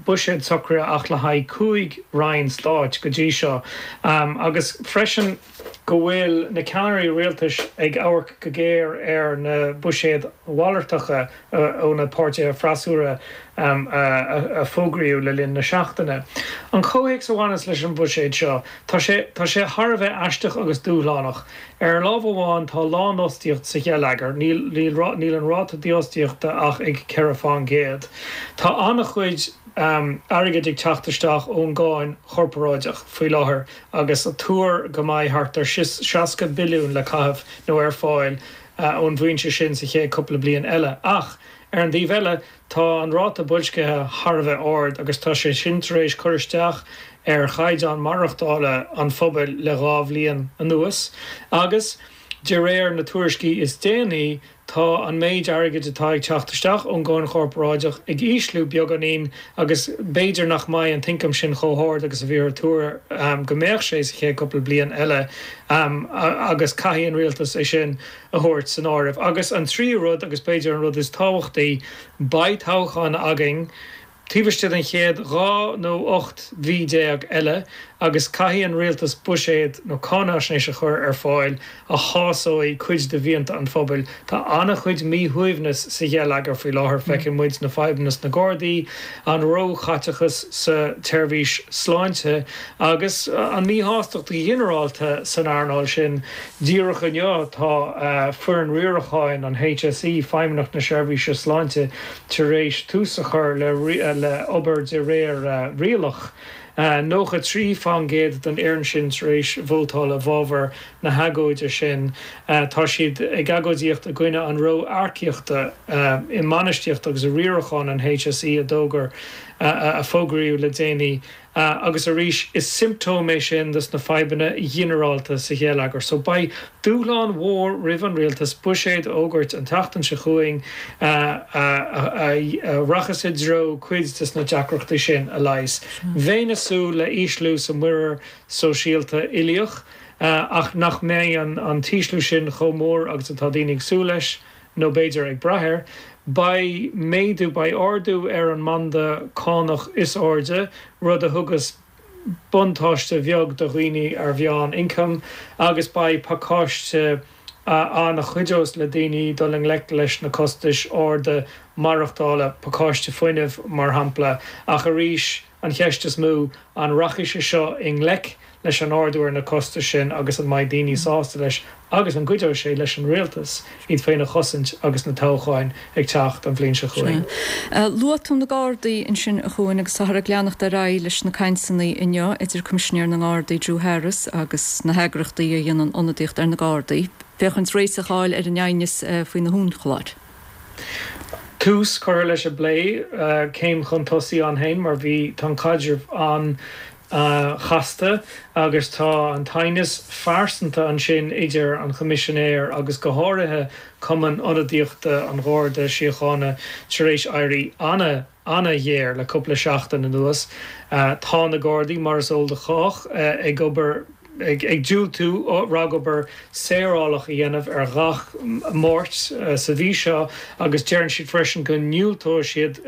buiséad socraithe ach le haghaidh 5 roinn stáit go dtí seo agus freisin go bhfuil na ceannairí rialtais ag amharc go géar ar na buiséid mhalartacha ó na páirtithe freasúra a fógraíodh le linn na seachtaine. An comhthéacs a bhaineas leis an bhuiséad seo, tá sé, tá sé thar a bheith aisteach agus dúshlánach. Ar lámh amháin tá lánfhostaíocht sa gheilleagar, níl, níl an ráta dífhostaíochta ach ag 4 fán gcéad. Tá an-chuid airgid ag teacht isteach ón gcáin chorparáideach faoi láthair agus tuar go mbeidh thart ar 60 billiún le caitheamh nó ar fáil ón bhfoinse sin sa chéad cúpla bliain eile. Ach, ar an dtaobh eile, tá an ráta boilscithe thar a bheith ard agus tá sé sin tar éis cur isteach ar chaighdeán maireachtála an phobail le dhá bhliain anuas agus, de réir na tuairiscí is déanaí, tá an méid airgid atá ag teacht isteach ón gcáin chorparáideach ag ísliú beagáinín agus b'fhéidir nach mbeidh an t-ioncam sin chomh hard agus a bhíothar ag tuar go mbeadh sé sa chéad cúpla bliain eile agus caithfidh an rialtas é sin a thabhairt san áireamh. Agus an tríú rud, agus b'fhéidir an rud is tábhachtaí, beidh toghchán againn taobh istigh den chéad 12 nó 18 mhí eile agus caithfidh an rialtas buiséad nó cáináisnéis a chur ar fáil a shásóidh cuid de mhianta an phobail. Tá an-chuid míshuaimhneas sa gheilleagar faoi láthair, feiceann muid na fadhbanna sna Gardaí, an róchaiteachas sa tseirbhís sláinte agus an mhíshástacht ghinearálta san earnáil sin. Díreach inniu tá foireann riaracháin an HSE, Feidhmeannacht na Seirbhíse Sláinte, tar éis tús a chur le obair de réir rialach. 93 fán gcéad den fhoireann sin tar éis vótáil i bhfabhar na hagóide sin. Tá siad ag agóidíocht i gcoinne an ró-earcaíochta i mbainistíocht agus i riarachán an HSE a d'fhógair a fógraíodh le déanaí. Agus arís, is siomptóm é sin dos na fadhbanna ghinearálta sa gheilleagar. So beidh dúshlán mhór roimh an rialtas buiséad a fhógairt an tseachtain seo chugainn a rachas i dtreo cuid des na deacrachtaí sin a leigheas. Bheinn ag súil le ísliú sa muirear sóisialta uilíoch ach nach mbeidh an t-ísliú sin chomh mór agus atá daoine ag súil leis. nó b'fhéidir ag brath air. Beidh méadú, beidh ardú ar an mbanda cánach is airde, rud a thugas buntáiste bheag do dhaoine ar mheán-ioncam, agus beidh pacáiste ann a chuideos le daoine dul i ngleic leis na costais arda maireachtála, pacáiste fuinnimh, mar shampla. Ach arís, An cheist is mó, an rachaidh sé seo i ngleic leis an ardú ar na costais sin agus an mbeidh daoine sásta leis agus an gcuideoidh sé leis an rialtas iad féin a chosaint agus na toghcháin ag teacht an bhliain seo chugainn? Luaigh tú na Gardaí ansin a Chuain agus táthar ag leanacht ar aghaidh leis na cainteanna inniu idir Coimisinéir na nGardaí Drew Harris agus na heagraíochtaí a dhéanann ionadaíocht ar na Gardaí féachaint réiteach a fháil ar an aighneas faoi na huainchlár. Tús curtha leis an bplé, céim chun tosaigh ann féin mar bhí, tá an caidreamh an-chasta agus tá an t-aighneas phearsanta ansin idir an Choimisinéir agus go háirithe Cumann Ionadaíochta an Gharda Síochána tar éis éirí ana ana-ghéar le cúpla seachtain anuas. Tá na Gardaí, mar is eol do chách, ag obair, ag diúltú ragobair saorálach a dhéanamh ar ghach Máirt sa mhí seo agus deireann siad freisin go ndiúltóidh siad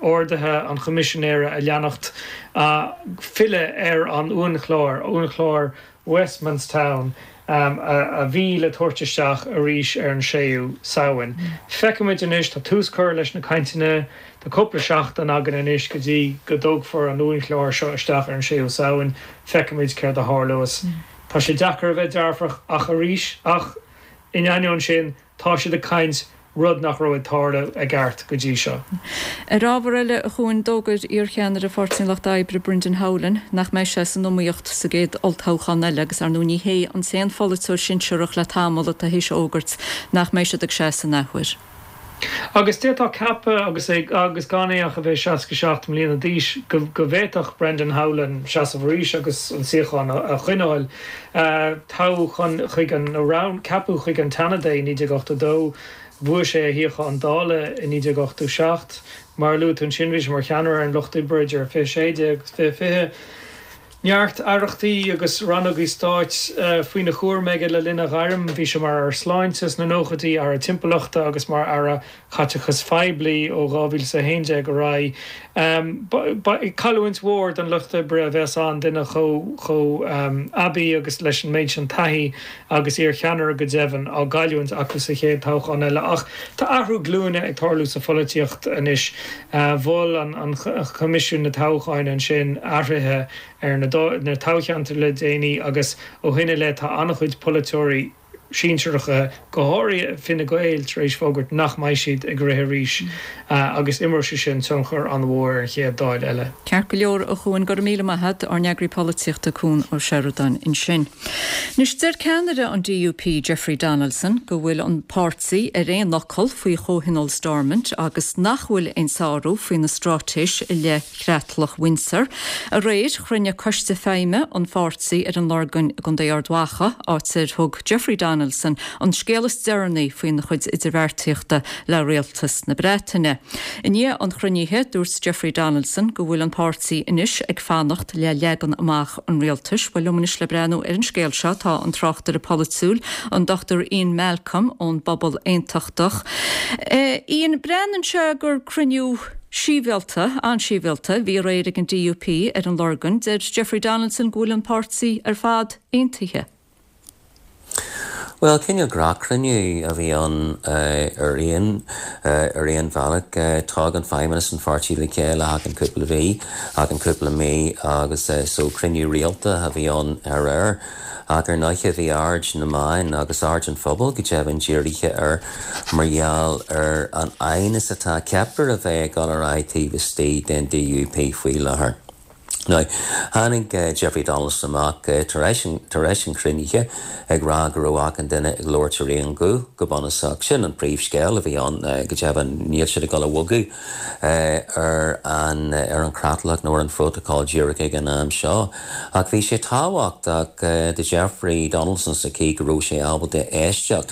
orduithe an Choimisinéara a leanacht filleadh ar an uainchlár, uainchlár Westmanstown. A bhí le tabhairt isteach arís ar an 6ú Samhain. Feicfimid anois, tá tús curtha leis na cainteanna, tá cúpla seachtain againn anois go dtí go dtugfar an uainchlár seo isteach ar an 6ú Samhain, feicfimid céard a tharlós. Tá sé deacair a bheith dearfach ach arís, ach in ainneoin sin, tá siad ag caint, rud nach raibh ag tarlú i gceart go dtí seo. Ar ábhar eile, a Chuain, d'fhógair iarcheannaire Pháirtí an Lucht Oibre, Brendan Howlin, nach mbeidh sé san iomaíocht sa gcéad olltoghchán eile agus ar ndóigh ní hé an t-aon pholaiteoir sinsearach le tamall atá théis a fhógairt nach mbeidh siad ag seasamh an athuair. Agus d'fhéadfá ceapadh, agus é agus gan é ach a bheith 67 mbliana d'aois, go go bhféadfadh Brendan Howlin seasamh arís agus an suíochán a choinneáil. Toghadh chun chuig an nó roghn ceapadh chuig an tSeanad é i 1982. Bhuaigh sé a shuíochán Dála i 1987. Mar a luaigh tú ansin, bhí sé mar cheannaire ar an Lucht Oibre idir 2016 agus 2020. Neart aireachtaí agus rannógaí stáit faoina chúram aige le linn a ghairm. Bhí sé mar Aire Sláinte sna nóchaidí, Aire Timpeallachta agus mar Aire Chaiteachais Phoiblí ó 2011 ar aghaidh. Cailliúint mhór don Lucht Oibre a bheas ann, duine chomh aibí agus leis an méid sin taithí agus iarcheannaire go deimhin, á gcailliúint acu sa chéad toghchán eile. Ach tá athrú glúine ag tarlú sa pholaitíocht anois. Mhol an Coimisiún na Toghcháin ansin athruithe ar na toghcheantair le déanaí agus ó shin i leith tá an-chuid polaiteoirí sinsearacha, go háirithe Fine Gael, tar éis fógairt nach mbeidh siad ag rith arís agus imreoidh sé sin tionchar an-mhór ar an chéad Dáil eile. Ceart go leor, a Chuain, go raibh míle maith agat, ár n-eagraí polaitíochta Cuan Ó Seireadáin ansin. Anois, deir ceannaire an DUP, Jeffrey Donaldson, go bhfuil an páirtí ar aon fhocal faoi Chomhthionól Stormont agus nach bhfuil aon sárú faoina straitéis i leith Chreatlach Windsor. Aréir, chruinnigh Coiste Feidhme an pháirtí ar an Lorgain i gContae Ard Mhacha, áit ar thug Jeffrey Donaldson an scéal is deireanaí faoina chuid idirbheartaíochta le Rialtas na Breataine. I ndiaidh an chruinnithe, dúirt Jeffrey Donaldson go bhfuil an páirtí anois ag fanacht le leagan amach an rialtais. Bhuel, liom anois le breathnú ar an scéal seo tá an tráchtaire polaitiúil, an Dr Ian Malcolm ón bPobal Aontachtach. Ian, breathnaíonn sé gur cruinniú sibhialta, an-sibhialta, a bhí aréir ag an DUP ar an Lorgain. Deir Jeffrey Donaldson go bhfuil an páirtí ar fad aontaithe. Bhuel, cineál gnáthchruinniú a bhí ann ar aon ar aon bhealach. Tagann feidhmeannas an pháirtí le chéile achan cúpla mhí, achan cúpla mí agus so cruinniú rialta a bhí ann aréir. Ach ar ndóiche bhí aird na meáin agus aird an phobail go deimhin dírithe air mar gheall ar an aighneas atá ceaptar a bheith ag dul ar aghaidh taobh istigh den DUP faoi láthair. Now, tháinig Jeffrey Donaldson amach tar éis tar éis an chruinnithe ag rá go raibh achan duine ag labhairt ar aon ghuth go bunúsach. Sin an príomhscéal a bhí ann go deimhin. Níl siad ag dul a bhogadh ar an ar an chreatlach nó ar an phrótacal díreach ag an am seo. Ach bhí sé tábhachtach do Jeffrey Donaldson sa chaoi go raibh sé ábalta éisteacht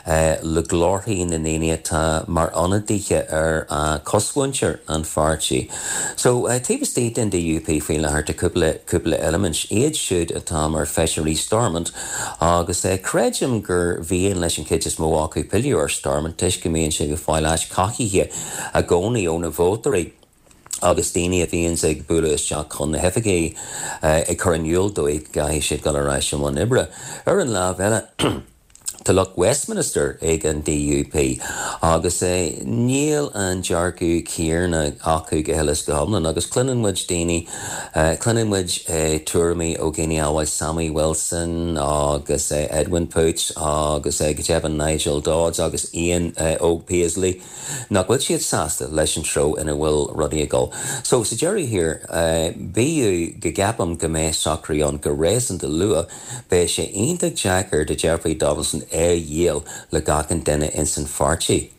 le glórthaí na ndaoine atá mar ionadaithe ar chosmhuintir an pháirtí. So, taobh istigh den DUP faoi láthair tá cúpla, cúpla eilimint, iad siúd atá mar feisirí Stormont agus creidim gur mhian leis an chuid is mó acu pilleadh ar Stormont toisc go mbíonn siad ag fáil áit cothaithe i gcónaí ó na vótóirí agus daoine a bhíonns ag bualadh isteach chun na hoifigí ag cur in iúl dóibh go gcaithfidh siad dul ar ais i mbun oibre. Ar an lámh eile, tá lucht Westminster ag an DUP agus níl an dearcadh céanna acu go huile is go hiomlán agus cluineann muid daoine, cluineann muid tuairimí ó dhaoine amhail Sammy Wilson agus Edwin Poots agus go deimhin Nigel Dodds agus Ian Óg Paisley. nach bhfuil siad sásta leis an treo ina bhfuil rudaí ag dul. So, sa deireadh thiar, bíodh go gceapaim go mbeidh socrú ann go réasúnta luath, beidh sé iontach deacair do Jeffrey Donaldson é a dhíol le gach aon duine ins an pháirtí.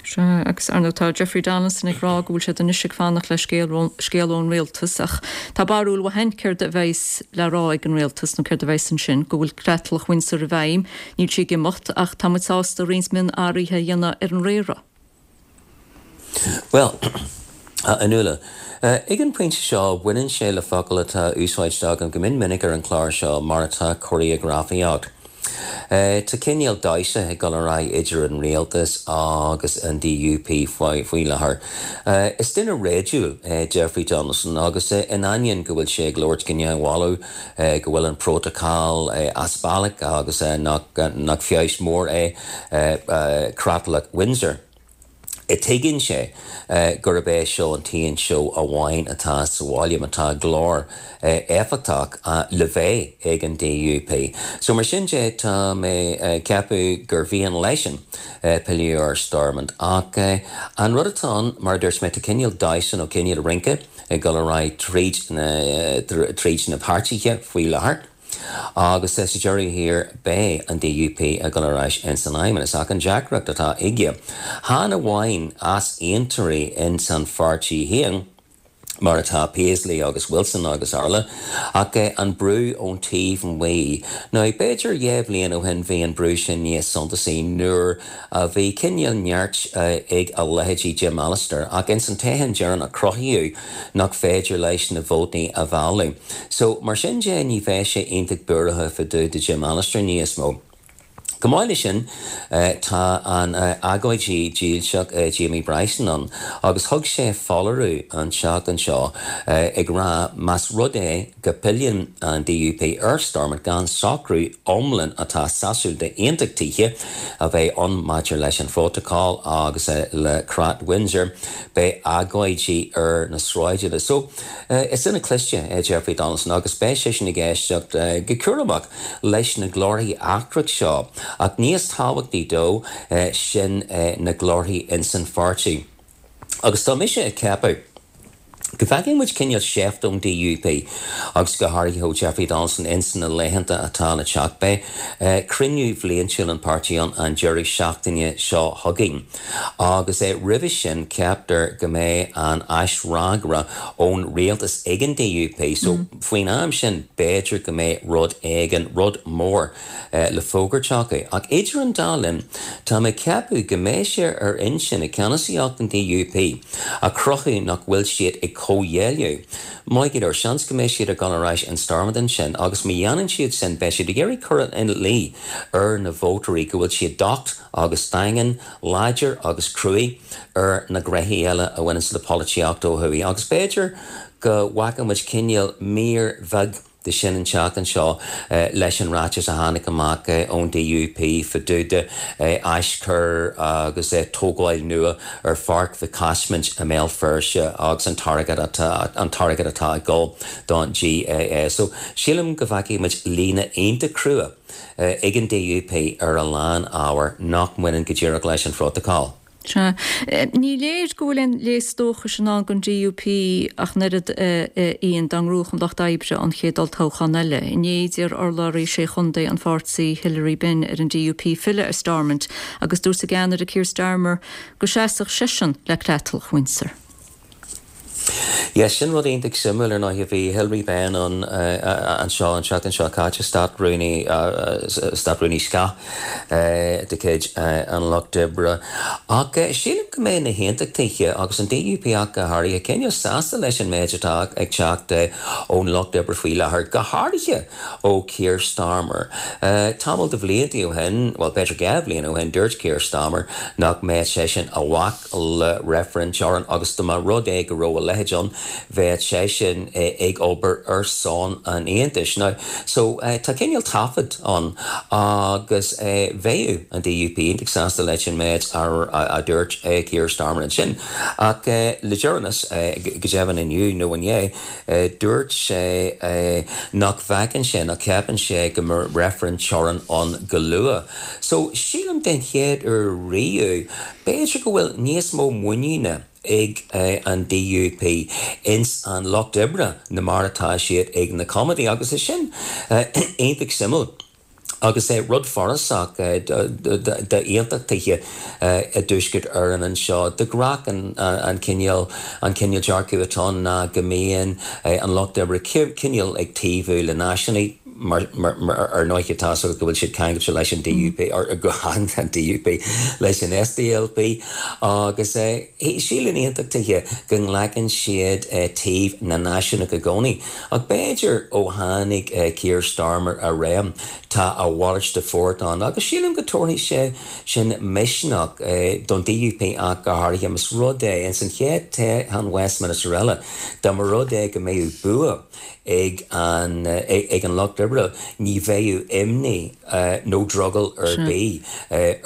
Sea, agus ar ndóigh tá Jeffrey Donaldson ag rá go bhfuil siad anois ag fanacht le scéal ón rialtas ach tá barúil mhaith againn céard a bheas le rá ag an rialtas nó céard a bheas ansin, go bhfuil creatlach Windsor i bhfeidhm, Níl sí ag imeacht, ach tá muid sásta roinnt mionathruithe a dhéanamh ar an riaradh. Bhuel, a Fhionnuala, ag an bpointe seo, baineann sé le focal atá úsáidte agam go mion minic ar an chlár seo, mar atá cóiréagrafaíocht. Tá cineál damhsa ag dul ar aghaidh idir an rialtas agus an DUP faoi láthair. Is duine réadúil é Jeffrey Donaldson agus in ainneoin go bhfuil sé ag labhairt go neamhbhalbh go bhfuil an prótacal as bealach agus nach feabhas mór é Creatlach Windsor, Tuigeann sé gurb é seo an t-aon seó amháin atá sa bhaile má tá glór éifeachtach le bheith ag an DUP. So mar sin de tá mé ag ceapadh gur mhian leisean pilleadh ar Stormont. Ach an rud atá ann, mar a dúirt mé, tá cineál damhsa nó cineál rince ag dul ar aghaidh tríd na tríd na páirtithe faoi láthair. Agus sa deireadh thiar beidh an DUP ag dul ar ais ins an Fheidhmeannas. Ach an deacracht atá aige, chan amháin easaontóirí ins an pháirtí féin, mar atá Paisley agus Wilson agus araile, ach an brú ón taobh amuigh. Now, b'fhéidir dhá bhliain ó shin bhí an brú sin níos suntasaí nuair a bhí cineál neart ag a leithéidí Jim Allister, ach ins an toghchán deireanach cruthaíodh nach féidir leis na vótaí a mhealladh. So, mar sin de, ní bheidh sé iontach buartha fá dtaobh de Jim Allister níos mó. Chomh maith leis sin, tá an agóidí dílseach Jamie Bryson ann agus thug sé foláireamh an tseachtain seo ag rá más rud é go bpilleann an DUP ar Stormont gan socrú iomlán atá sásúil d'aontachtaithe a bheith ann maidir leis an phrótacal agus le Creat Windsor, beidh agóidí ar na sráideanna. So, is duine cliste é Jeffrey Donaldson agus beidh seisean ag éisteacht go cúramach leis na glórthaí eachtrach seo, ach níos tábhachtaí dó sin na glórthaí insan pháirtí. Agus tá mise ag ceapadh go bhfeicfidh muid cineál seift ón DUP agus go háirithe ó Jeffrey Donaldson ins na laethanta atá le teacht. Beidh cruinniú bhliantúil an pháirtí ann an deireadh seachtaine seo chugainn agus roimhe sin ceaptar go mbeidh an aisfhreagra ón rialtas ag an DUP so faoin am sin b'fhéidir go mbeidh rud éigin, rud mór, le fógairt acu. Ach idir an dá linn, tá mé ag ceapadh go mbeidh sé ar intinn ag ceannasaíocht an DUP a chruthú nach bhfuil siad ag comhghéilleadh. Maith go leor, seans go mbeidh siad ag dul ar ais in Stormont ansin agus má dhéanann siad sin beidh siad ag iarraidh cur ina luí ar na vótóirí go bhfuil siad docht agus daingean, láidir agus cruaidh ar na gnoithí eile a bhaineanns le polaitíocht ó thuaidh. Agus b'fhéidir go bhfaca muid cineál mír bheag de sin an tseachtain seo leis an ráiteas a tháinig amach ón DUP fá dtaobh de aischur agus tógáil nua ar Pháirc Mhic Caismint i mBéal Feirste agus an t-airgead atá an t-airgead atá ag dul don GAA. So sílim go bhfeicfidh muid líne iontach crua ag an DUP ar a lán ábhar nach mbaineann go díreach leis an phrótacal. Sea. Ní léir go bhfuil aon léas dóchais i ndán don DUP ach an oiread, a Ian, dá ngnóthódh an Lucht Oibre an chéad olltoghchán eile. Inné d'iarr urlabhraí sé chontae an pháirtí, Hilary Benn, ar an DUP filleadh ar Stormont agus dúirt a gceannaire Keir Starmer go seasfadh seisean le Creatlach Windsor. Yes, sin rud iontach suimiúil ar ndóigh. Bhí Hilary Benn ann anseo an tseachtain seo caite, Stát-Rúnaí, Stát-Rúnaí Scáth de chuid an Lucht Oibre. Ach sílim go mbeidh na hAontachtaithe, agus an DUP ach go háirithe, cineál sásta leis an méid atá ag teacht ón Lucht Oibre faoi láthair, go háirithe ó Keir Starmer. Tamall de bhlianta ó shin, bhuel b'fhéidir 2 bhliain ó shin, dúirt Keir Starmer nach mbeadh seisean a bhac le reifreann teorann agus dá mba rud é go raibh a leithéid ann, bheadh seisean ag obair ar son an Aontais. Now, so, tá cineál taifead ann agus bheadh an DUP iontach sásta leis an méid a dúirt Keir Starmer ansin. Ach le deireanas, go deimhin inniu nó inné, dúirt sé nach bhfeiceann sé, nach gceapann sé go mbeidh reifreann teorann ann go luath. So, sílim den chéad uair riamh, b'fhéidir go bhfuil níos mó muiníne ag an DUP ins an Lucht Oibre ná mar atá siad ag na Coimeádaigh agus é sin iontach suimiúil agus é rud forásach d'aontachtaithe i dTuaisceart Éireann anseo. De ghnáth an cineál an cineál dearcadh atá ann ná go mbíonn an Lucht Oibre cineál ag taobhú le náisiúnaigh. Mar, ar ndóighe, tá a fhios agat go bhfuil siad ceangailte leis an DUP, or an DUP, leis an SDLP, agus síleann aontachtaithe go nglacann siad taobh na náisiúnach i gcónaí. Ach b'fhéidir ó tháinig Keir Starmer i réim, tá a mhalairt de phort ann, agus sílim go dtabharfaidh sé sin misneach don DUP ach go háirithe, más rud é, ins an chéad toghchán Westminster eile, dá mba rud é go mbeadh bua ag an ag an Lucht Oibre, ní bheadh imní nó drogall ar bith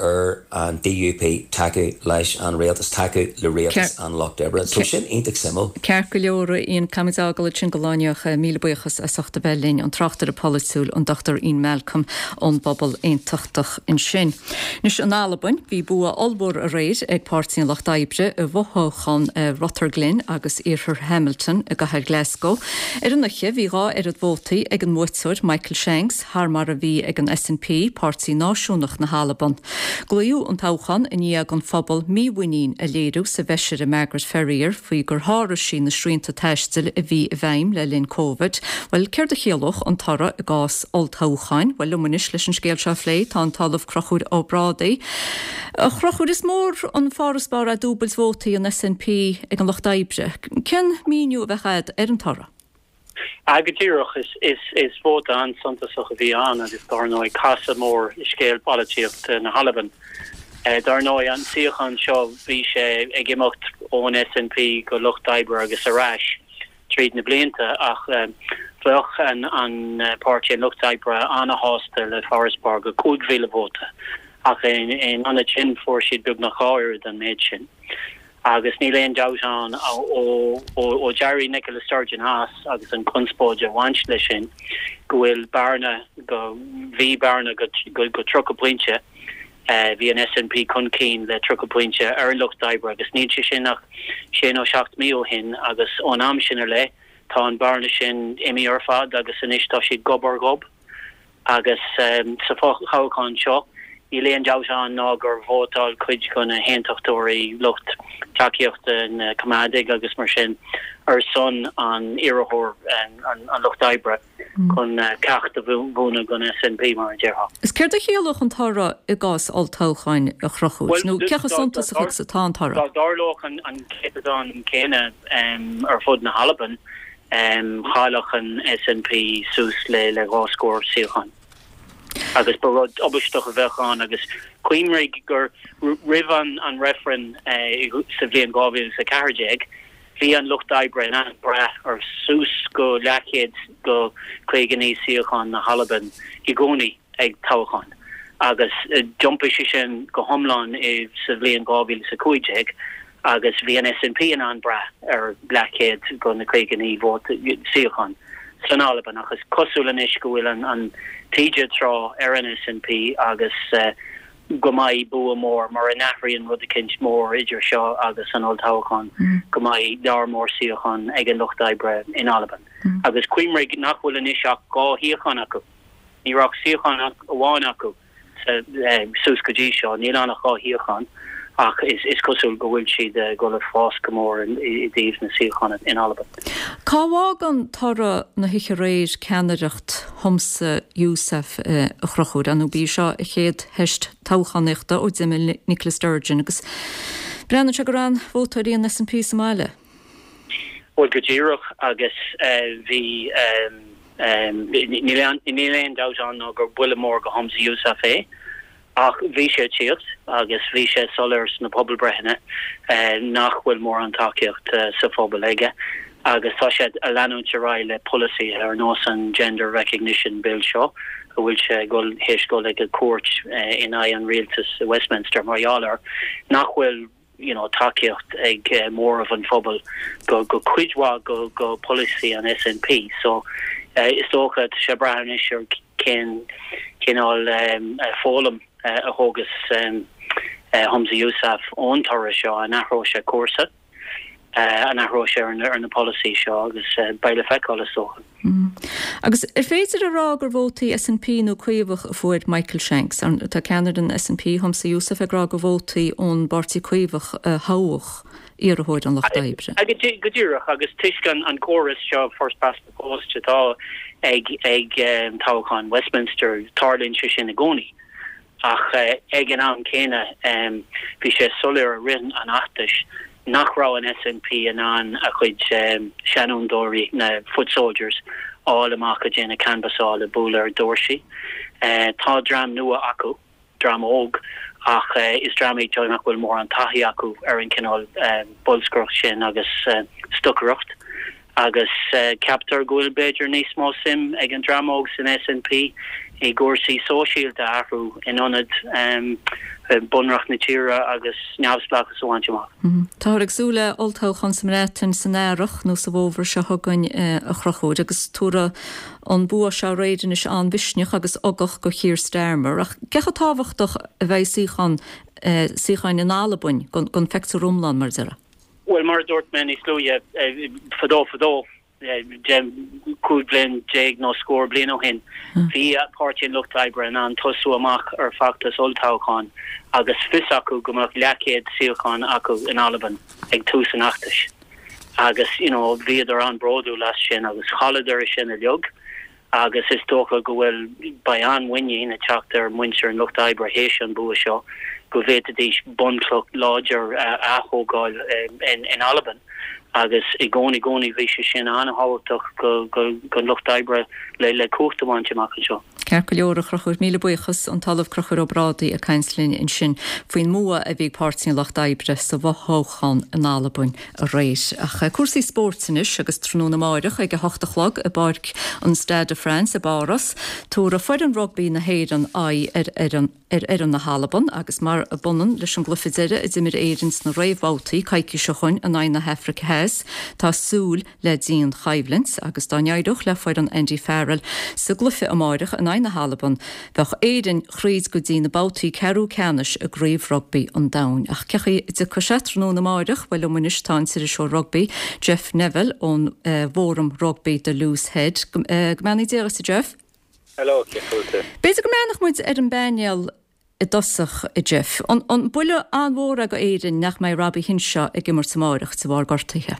ar an DUP tacú leis an rialtas, tacú le rialtas an Lucht Oibre. So sin iontach suimiúil. Ceart go leor, Ian, caithfimid é a fhágáil ansin don lá inniu. Míle buíochas as ucht a bheith linn, an tráchtaire polaitiúil, an Dr Ian Malcolm ón bPobal Aontachtach ansin. Anois, in Albain, bhí bua ollmhór aréir ag Páirtí an Lucht Oibre i bhfothoghchán Rutherglen agus Iarthar Hamilton i gcathair Glasgow. Ar an oíche, bhí 2 oiread vótaí ag an mbuaiteoir, Michael Shanks, thar mar a bhí ag an SNP, Páirtí Náisiúnach na hAlban. Glaodh an toghchán i ndiaidh don phobal mímhuinín a léiriú sa bhfeisire Margaret Ferrier faoi gur sháraigh sí na srianta taistil a bhí i bhfeidhm le linn Covid. Bhuel, céard a chiallódh an toradh i gcás olltoghcháin? Bhuel, liom anois leis an scéal seo a phlé tá an tOllamh Conchúr Ó Brádaigh. A Chonchúir, is mór an farasbarr é dúbailt vótaí an SNP ag an Lucht Oibre. Cén míniú a bheadh agat ar an toradh? Ah, go díreach. Is vóta an-suntasach a bhí ann agus dar ndóigh casadh mór i scéal polaitíochta na hAlban. Dar ndóigh an suíochán seo bhí sé ag imeacht ón SNP go Lucht Oibre agus ar ais tríd na blianta ach bheadh an Páirtí an Lucht Oibre an-shásta le farasbarr go 5,000 vóta ach in ionad sin fuair siad beagnach 2 oiread an méid sin. Agus níl aon dabht ann, ó d'éirigh Nicola Sturgeon as agus an conspóid a bhain leis sin, go bhfuil bearna, go, bhí bearna go, go 30 pointe, bhí an SNP chun cinn le 30 pointe ar an Lucht Oibre agus níl sé sin ach sé nó seacht mí ó shin agus ón am sin i leith tá an bearna sin imithe ar fad agus anois tá siad gob ar ghob. Agus sa fho-thoghchán seo, níl aon dabht ann ná gur vótáil cuid de na haontachtóirí, lucht tacaíochta na Coimeádaigh agus mar sin, ar son an iarrthóir an Lucht Oibre chun ceacht a mhúineadh don SNP, mar a déarfá. Is céard a chiallódh an toradh i gcás olltoghcháin, a Chonchúir? Nó cé chomh suntasach agus atá an toradh? Dá dtarlódh an céatadán céanna ar fud na hAlban, Chaillfeadh an SNP suas le le dhá scór suíochán agus ba rud tubaisteach a bheadh ann agus cuimhnigh gur roimh an reifreann sa bhliain 2014 bhí an Lucht Oibre in ann brath ar suas go leathchéad go 59 suíochán na hAlban i gcónaí. ag toghcháin agus d'iompaigh sé sin go hiomlán sa bhliain 2015 agus bhí an SNP in ann brath ar leathchéad go na 59 vóta, suíochán san Albain ach is cosúil anois go bhfuil an taoide ag trá ar an SNP agus go mbeidh bua mór, mura n-athraíonn rud eicínt mór idir seo agus an olltoghchán, go mbeidh lear mór suíochán ag an Lucht Oibre in Albain. Agus cuimhnigh nach bhfuil anois ach 2 shuíochán acu. Ní raibh ach suíochán amháin acu suas go dtí seo, níl ann ach 2 shuíochán, ach is cosúil go bhfuil siad ag dul ag fás go mór i dtaobh na suíochán in Albain. Cá bhfágann toradh na hoíche aréir ceannaireacht Humza Yousaf, a Chonchúir? Ar ndóigh b'í seo a chéad theist toghchánaíochta ó d'imigh Nicola Sturgeon agus breathnaíonn sé gur fhan vótóirí an SNP sa mbaile. Bhuel, go díreach, agus bhí, níl aon dabht ann ná gur buille mór go Humza Yousaf é, ach bhí sé ag tíocht agus bhí sé soiléir sna pobalbreitheanna nach bhfuil mórán tacaíocht sa phobal aige agus tá sé ag leanúint ar aghaidh le polasaithe ar nós an Gender Recognition Bill seo a bhfuil sé ag dul, théis dul ag an cúirt in aghaidh an rialtais i Westminster mar gheall air nach bhfuil you know tacaíocht ag móramh an phobail go go cuid mhaith go go polasaí an SNP so is dócha tá sé ag brath anois ar cén cineál foghlaim a thógas Humza Yousaf ón toradh seo, an athróidh sé cúrsa? An athróidh sé ar na polasaí seo agus beidh le feiceáil is dócha. Agus ar féidir a rá gur vótaí SNP nó Caomhach a fuair Michael Shanks? Tá ceannaire an SNP, Humza Yousaf, ag rá gur vótaí ón bPáirtí Caomhach a thoghadh iarrthóir an Lucht Oibre. Go díreach, agus toisc an córas seo first past the post atá ag toghchán Westminster, tarlaíonn sé sin i gcónaí. Ach ag an am céanna, bhí sé soiléir i rith an fheachtais nach raibh an SNP in ann a chuid seanfhondúirí, na foot soldiers, a fháil amach ag déanamh canbhasáil, ag bualadh ar dhoirsí. Tá dream nua acu, dream óg, ach is dream iad seo nach bhfuil mórán taithí acu ar an chineál bolscaireacht sin agus stocaireacht. Agus ceaptar go bhfuil b'fhéidir níos mó suim ag an dream óg san SNP i gcúrsaí sóisialta a athrú in ionad bunreacht na tíre agus neamhspleáchas a bhaint amach. Táthar ag súil le olltoghchán sa mBreatain san earrach nó sa bhfómhar seo chugainn, a Chonchúir, agus tabharfaidh an bua seo aréir anois an-mhisneach agus ugach do Keir Starmer. Ach cé chomh tábhachtach a bheidh suíochán, suíocháin in Albain don phictiúr iomlán, mar a déarfá? Bhuel, mar a dúirt mé níos luaithe, fadó fadó, 15 bliain nó scór bliain ó shin, bhí Páirtí an Lucht Oibre in ann tosú amach ar feachtas olltoghcháin agus fios acu go mbeadh leathchéad suíochán acu in Albain ag tús an fheachtais. Agus, you know, bhíodar an-bhródúil as sin agus chailleadar é sin uilig. agus is dócha go bhfuil, beidh an-mhuinín ag teacht ar mhuintir an Lucht Oibre théis an bua seo go bhféadfaidís bunchloch láidir a ath-thógáil in Albain agus i gcónaí, gcónaí bhí sé sin an-thábhachtach don Lucht Oibre le cumhacht a bhaint amach anseo. Ceart go leor, a Chonchúir, míle buíochas. An tOllamh Conchúr Ó Brádaigh ag caint linn ansin faoin mbua a bhí ag Páirtí an Lucht Oibre sa bhfothoghchán in Albain. aréir. Ach cúrsaí spóirt anois agus tráthnóna amáireach ag 8 a chlog i bPáirc an Stade de France i bPáras, tabharfaidh foireann rugbaí na hÉireann aghaidh ar fhoireann ar fhoireann na hAlban agus mar a b'ionann leis an gcluiche deiridh a d'imir Éirinn sna réamhbhabhtaí coicís ó shoin in aghaidh na hAfraice Theas, tá súil le dianchoimhlint agus dá n-éireodh le foireann Andy Farrell sa gcluiche amáireach in aghaidh na hAlban, bheadh Éirinn thríd go dtí na babhtaí ceathrú ceannais i gCraobh Rugbaí an Domhain. Ach cé chaoi a dtiocfaidh sé tráthnóna amáireach? Bhuel liom anois tá an t-iriseoir rugbaí Jeff Neville ón bhfóram rugbaí The Loose Head. Go mbeannaí Dia dhuit a Jeff. Hello, cén chaoi a bhfuil tú? B'fhéidir go mbreathnódh muid ar an bpainéal i dtosach, a Jeff. An buille an-mhór é go Éirinn nach mbeidh Robbie Henshaw ag imirt amáireach de bharr gortaithe?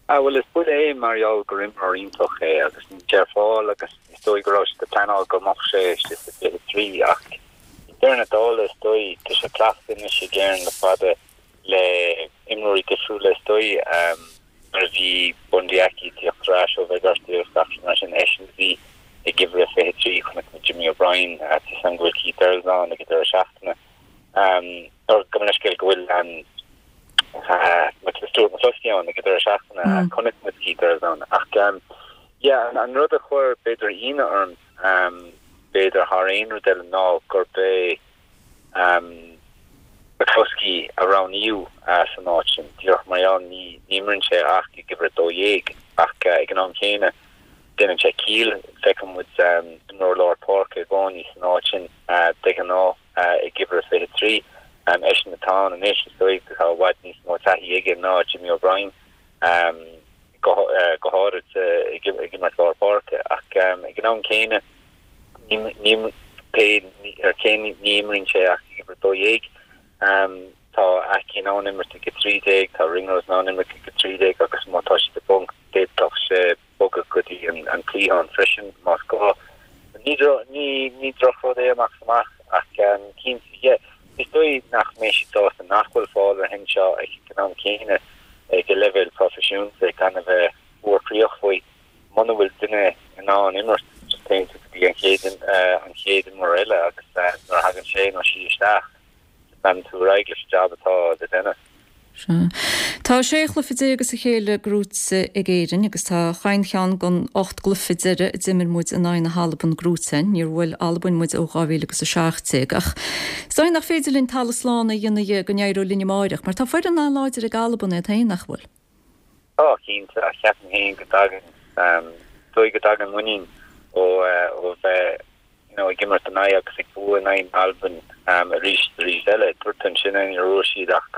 Ah bhuel is buille é mar gheall gur imreoir iontach é agus níl sé ar fáil agus is dóigh go raibh siad ag pleanáil go mbeadh sé istigh sa 23 ach i ndeireadh na dála is dóigh tá sé cleachta anois ag Éirinn le fada le imreoirí difriúla is dóigh nuair a bhí Bundee Aki ag tíocht ar ais ó bheith gortaithe agus gach rud mar sin, eisean a bhí ag uimhir a 23, chonaic muid Jimmy O'Brien, tá 'fhios a'm go bhfuil Keith Earls ann ag an deireadh seachtaine. Nó gabh mo leithscéal go bhfuil Stuart McCloskey ann ag an deireadh seachtaine, chonaic muid Keith Earls ann. Ach yeah, an rud a chuir b'fhéidir ionadh orm, b'fhéidir thar aon rud eile ná gurb é McCloskey a roghnaíodh san áit sin, díreach mar gheall ní imríonn sé ach ag uimhir 12 ach ag an am chéanna déanann sé ciall, feiceann muid imreoir lár páirce i gcónaí san áit sin de ghnáth ag uimhir 23. Eisean atá ann anois, is dóigh tá i bhfad níos mó taithí aige ná Jimmy O'Brien, go háirid ag imirt lár páirce ach ag an am céanna Ní pé ar cé ní imríonn sé ach ag uimhir 12. Tá Aki in ann imirt ag 13, tá Ringrose in ann imirt ag 13 agus má tá siad i bponc d'fhéadfadh sé bogadh go dtí an cliathán freisin más gá. Ní ní drochrud é amach is amach ach cinnte yeah is dóigh nach mbeidh siad sásta nach bhfuil fáil ar Henshaw ag an am céanna ag an leibhéal proifisiúnta gan a bheith fuarchroíoch faoi. Muna bhfuil duine in ann imirt, just téann tú go dtí an chéad an chéad imreoir eile agus nuair a thagann sé nó sí isteach, just leanann tú ar aghaidh leis an jab atá le déanamh. Sea. Tá 16 chluiche as a chéile gnóite ag Éirinn agus tá chaon cheann den 8 gcluiche deiridh a d'imir muid in aghaidh na hAlban gnóite againn. Níor bhuail Albain muid ó 2017. Ach is dóigh nach féidir linn talamh slán a dhéanamh dhe go n-éireoidh linn amáireach mar tá foireann an-láidir ag Albain iad féin, nach bhfuil? Tá, cinnte, ach ceapaim féin go dtagann, dóigh go dtagann muinín ó ó bheith you know ag imirt in aghaidh agus ag bua in aghaidh na hAlban arís is arís eile. Dúirt tú ansin ní raibh siad ach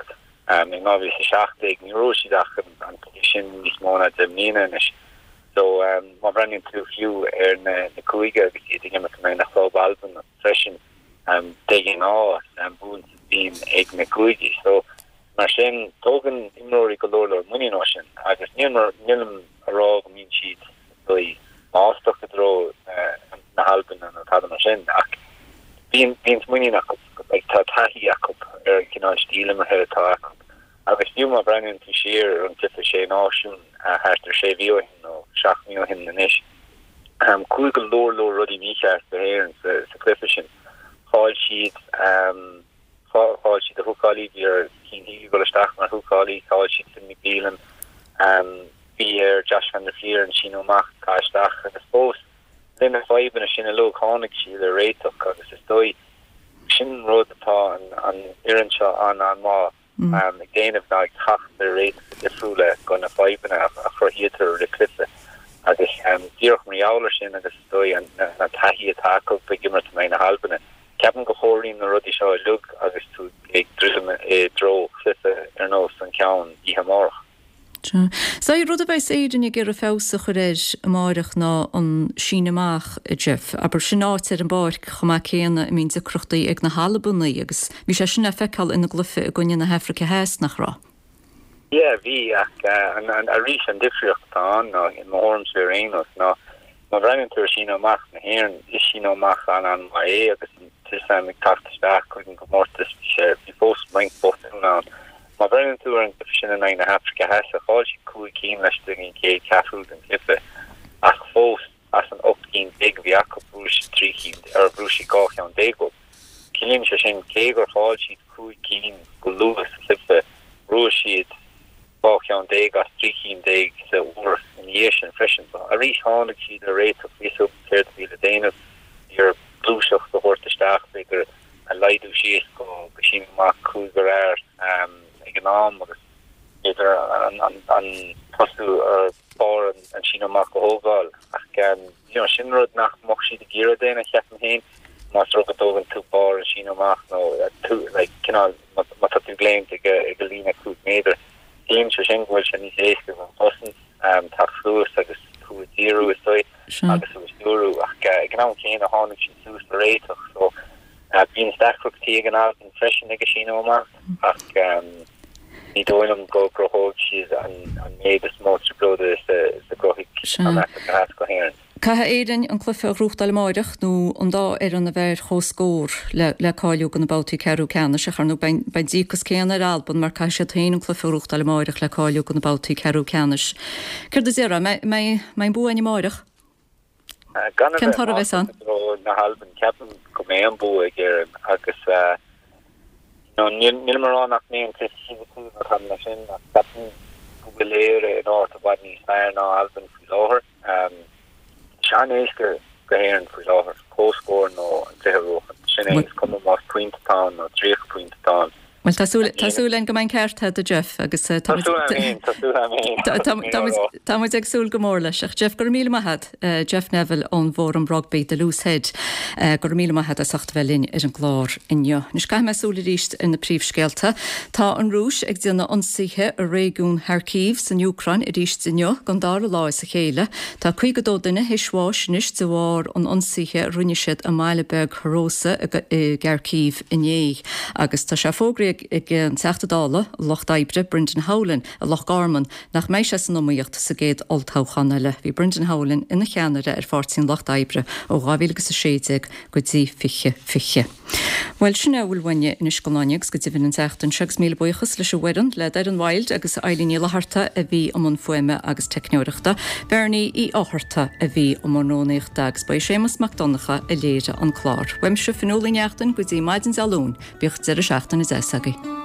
in 2017 ní raibh siad ach an. mó ná 10 mbliana anois. So má bhreathnaíonn tú fiú ar na cúige agus iad ag imirt in aghaidh na chlub Alban freisin, de ghnáth buann bíonn ag na cúigí. So mar sin tógann imreoirí go leor leor muinín ó sin agus nílim a rá go mbíonn siad dóigh maslach i dtreo na hAlban nó tada mar sin ach bíonn bíonn muinín acu, like tá taithí acu ar an cineál stíl imeartha atá acu agus fiú má bhreathnaíonn tú siar ar an gcluiche Sé Náisiún thart ar sé mhí ó shin nó seacht mí ó shin anois, chuaigh go leor leor rudaí mícheart do hÉirinn sa chluiche sin. Chaill siad Chaill siad a húcálaí, bhí ar Cian Healy dul isteach mar húcálaí, chaill siad Finn McMelan, bhí ar Josh van der Flier an síneadh amach a chaitheamh isteach agus fós le na fadhbanna sin uilig tháinig siad ar réiteach agus is dóigh sin an rud atá an fhoireann seo an-an-mhaith ag déanamh ná ag teacht ar réiteacha difriúla go na fadhbanna a chruthaítear i rith cluiche agus díreach mar gheall ar sin agus is dóigh an taithí atá acu ag imirt in aghaidh na hAlbana. Ceapaim go gcomhairíonn na rudaí seo uilig agus tú ag druidim i dtreo chluiche ar nós an ceann oíche amárach. Sea. Is é rud a bheas Éirinn ag iarraidh feabhas a chur air amáireach ná an síneadh amach, a Jeff. Abair, sin áit ar an bpáirc chomh maith céanna a mbíonn deacrachtaí ag na hAlbanaigh agus bhí sé sin le feiceáil ina gcluiche i gcoinne na hAfraice Theas, nach raibh? Yeah, bhí, ach arís an difríocht atá ann ná, i mo thuairimse ar aon nós, ná Má bhreathnaíonn tú ar síneadh amach na hÉireann, is síneadh amach an-an-mhaith é agus an t-am ag teacht isteach chuig an gcomórtas bhí sé, bhí fós roinnt botún ann. Má bhreathnaíonn tú ar an gcluiche sin in aghaidh na hAfraice Theas, chaill siad 5 cinn laistigh den chéad cheathrú den chluiche ach fós as an 18 cinn a bhí acu bhuaigh siad 3 cinn, or bhuaigh siad 12 cheann uathu. Ciallaíonn sé sin cé gur chaill siad 5 cinn go luath sa chluiche, bhuaigh siad 12 cheann as 13 chinn sa uair ina dhiaidh sin freisin. So arís tháinig siad ar réiteach, bhí a fhios acu céard a bhí le déanamh, bhí orthu gluaiseacht a thabhairt isteach, b'fhéidir a laghdú síos go síneadh amach cúigear fhear ag an am agus b'fhéidir an tosú ar barr an síneadh amach a thógáil. Ach you know sin rud nach mbeadh siad ag iarraidh déanamh cheapfainn féin, más rud go dtógann tú barr an síneadh amach nó tú like cineál má tá tú ag léimt ag an líne 5 méadar, ciallaíonn sé sin go bhfuil sé níos éasca don chosaint teacht suas agus thú a dhíriú, is dóigh, agus thú a stiúrú. Ach ag an am céanna tháinig siad suas le réiteach so bíonn deacrachtaí ag an Albain freisin ag an síneadh amach ach ní dóigh liom go gcruthóidh siad an méid is mó trioblóide is a chruthaigh an Afraic Theas go hÉirinn. Caithfidh Éirinn an cluiche a ghnóthachtáil amáireach nó an dá fhoireann a bheith ar comhscór le cáiliú do na babhtaí ceathrú ceannais ach ar ndóigh beidh an díocas céanna ar Albain mar caithfidh siad féin an cluiche a ghnóthachtáil amáireach le cáiliú do na babhtaí ceathrú ceannais. Céard a déarfá? An mbeidh an bua againn amáireach? Gan a Cén bheith toradh a bheas ann? maslach i dtreo na hAlban, ceapaim go mbeidh an bua ag Éirinn agus nílim a rá nach mbeidh an cluiche fisiciúil nó tada mar sin ach ceapaim go bhfuil Éire in áit i bhfad níos fearr ná Albain faoi láthair. Tá sé an-éasca go hÉirinn faoi láthair, comhscór nó an cluiche a bhuachan. Sin é, is cuma más pointe atá ann nó 30 pointe atá ann. Bhuel, tá súil, tá súil againn go mbeidh an ceart agat, a Jeff, agus tá Tá súil agam féin, tá súil agam féin. Tá, tá, tá muid, tá muid ag súil go mór leis. Ach Jeff, go raibh míle maith agat, Jeff Neville ón bhFóram Rugbaí, The Loose Head. Go raibh míle maith agat as ucht a bheith linn ar an gclár inniu. Anois caithfidh mé súil arís ar na príomhscéalta. Tá an Rúis ag déanamh ionsaithe i réigiún Kharkiv san Úcráin arís inniu don dara lá as a chéile. Tá 52 duine théis bháis anois de bharr an ionsaithe a rinne siad i mbaile beag Hroza i gKharkiv inné. Agus tá sé fógraithe ag an Teachta Dála Lucht Oibre Brendan Howlin i Loch Garman nach mbeidh sé san iomaíocht sa gcéad olltoghchán eile. Bhí Brendan Howlin ina cheannaire ar Pháirtí an Lucht Oibre ó 2016 go dtí 2020. Bhuel, sin é a bhfuil uainne anois don lá inniu agus go deimhin an tseachtain seo agus míle buíochas leis an bhfoireann, le Doireann Wilde agus Eilín Ní Fhlatharta a bhí i mbun fuaime agus teicneoireachta, Bernie Uí Fhátharta a bhí i mbun rúnaíochta agus ba é Séamus Mac Donncha a léirigh an clár. Uaimse, Fionnuala Ní Neachtain, go dtí maidin Dé Luain, bíodh deireadh seachtaine deas agaibh.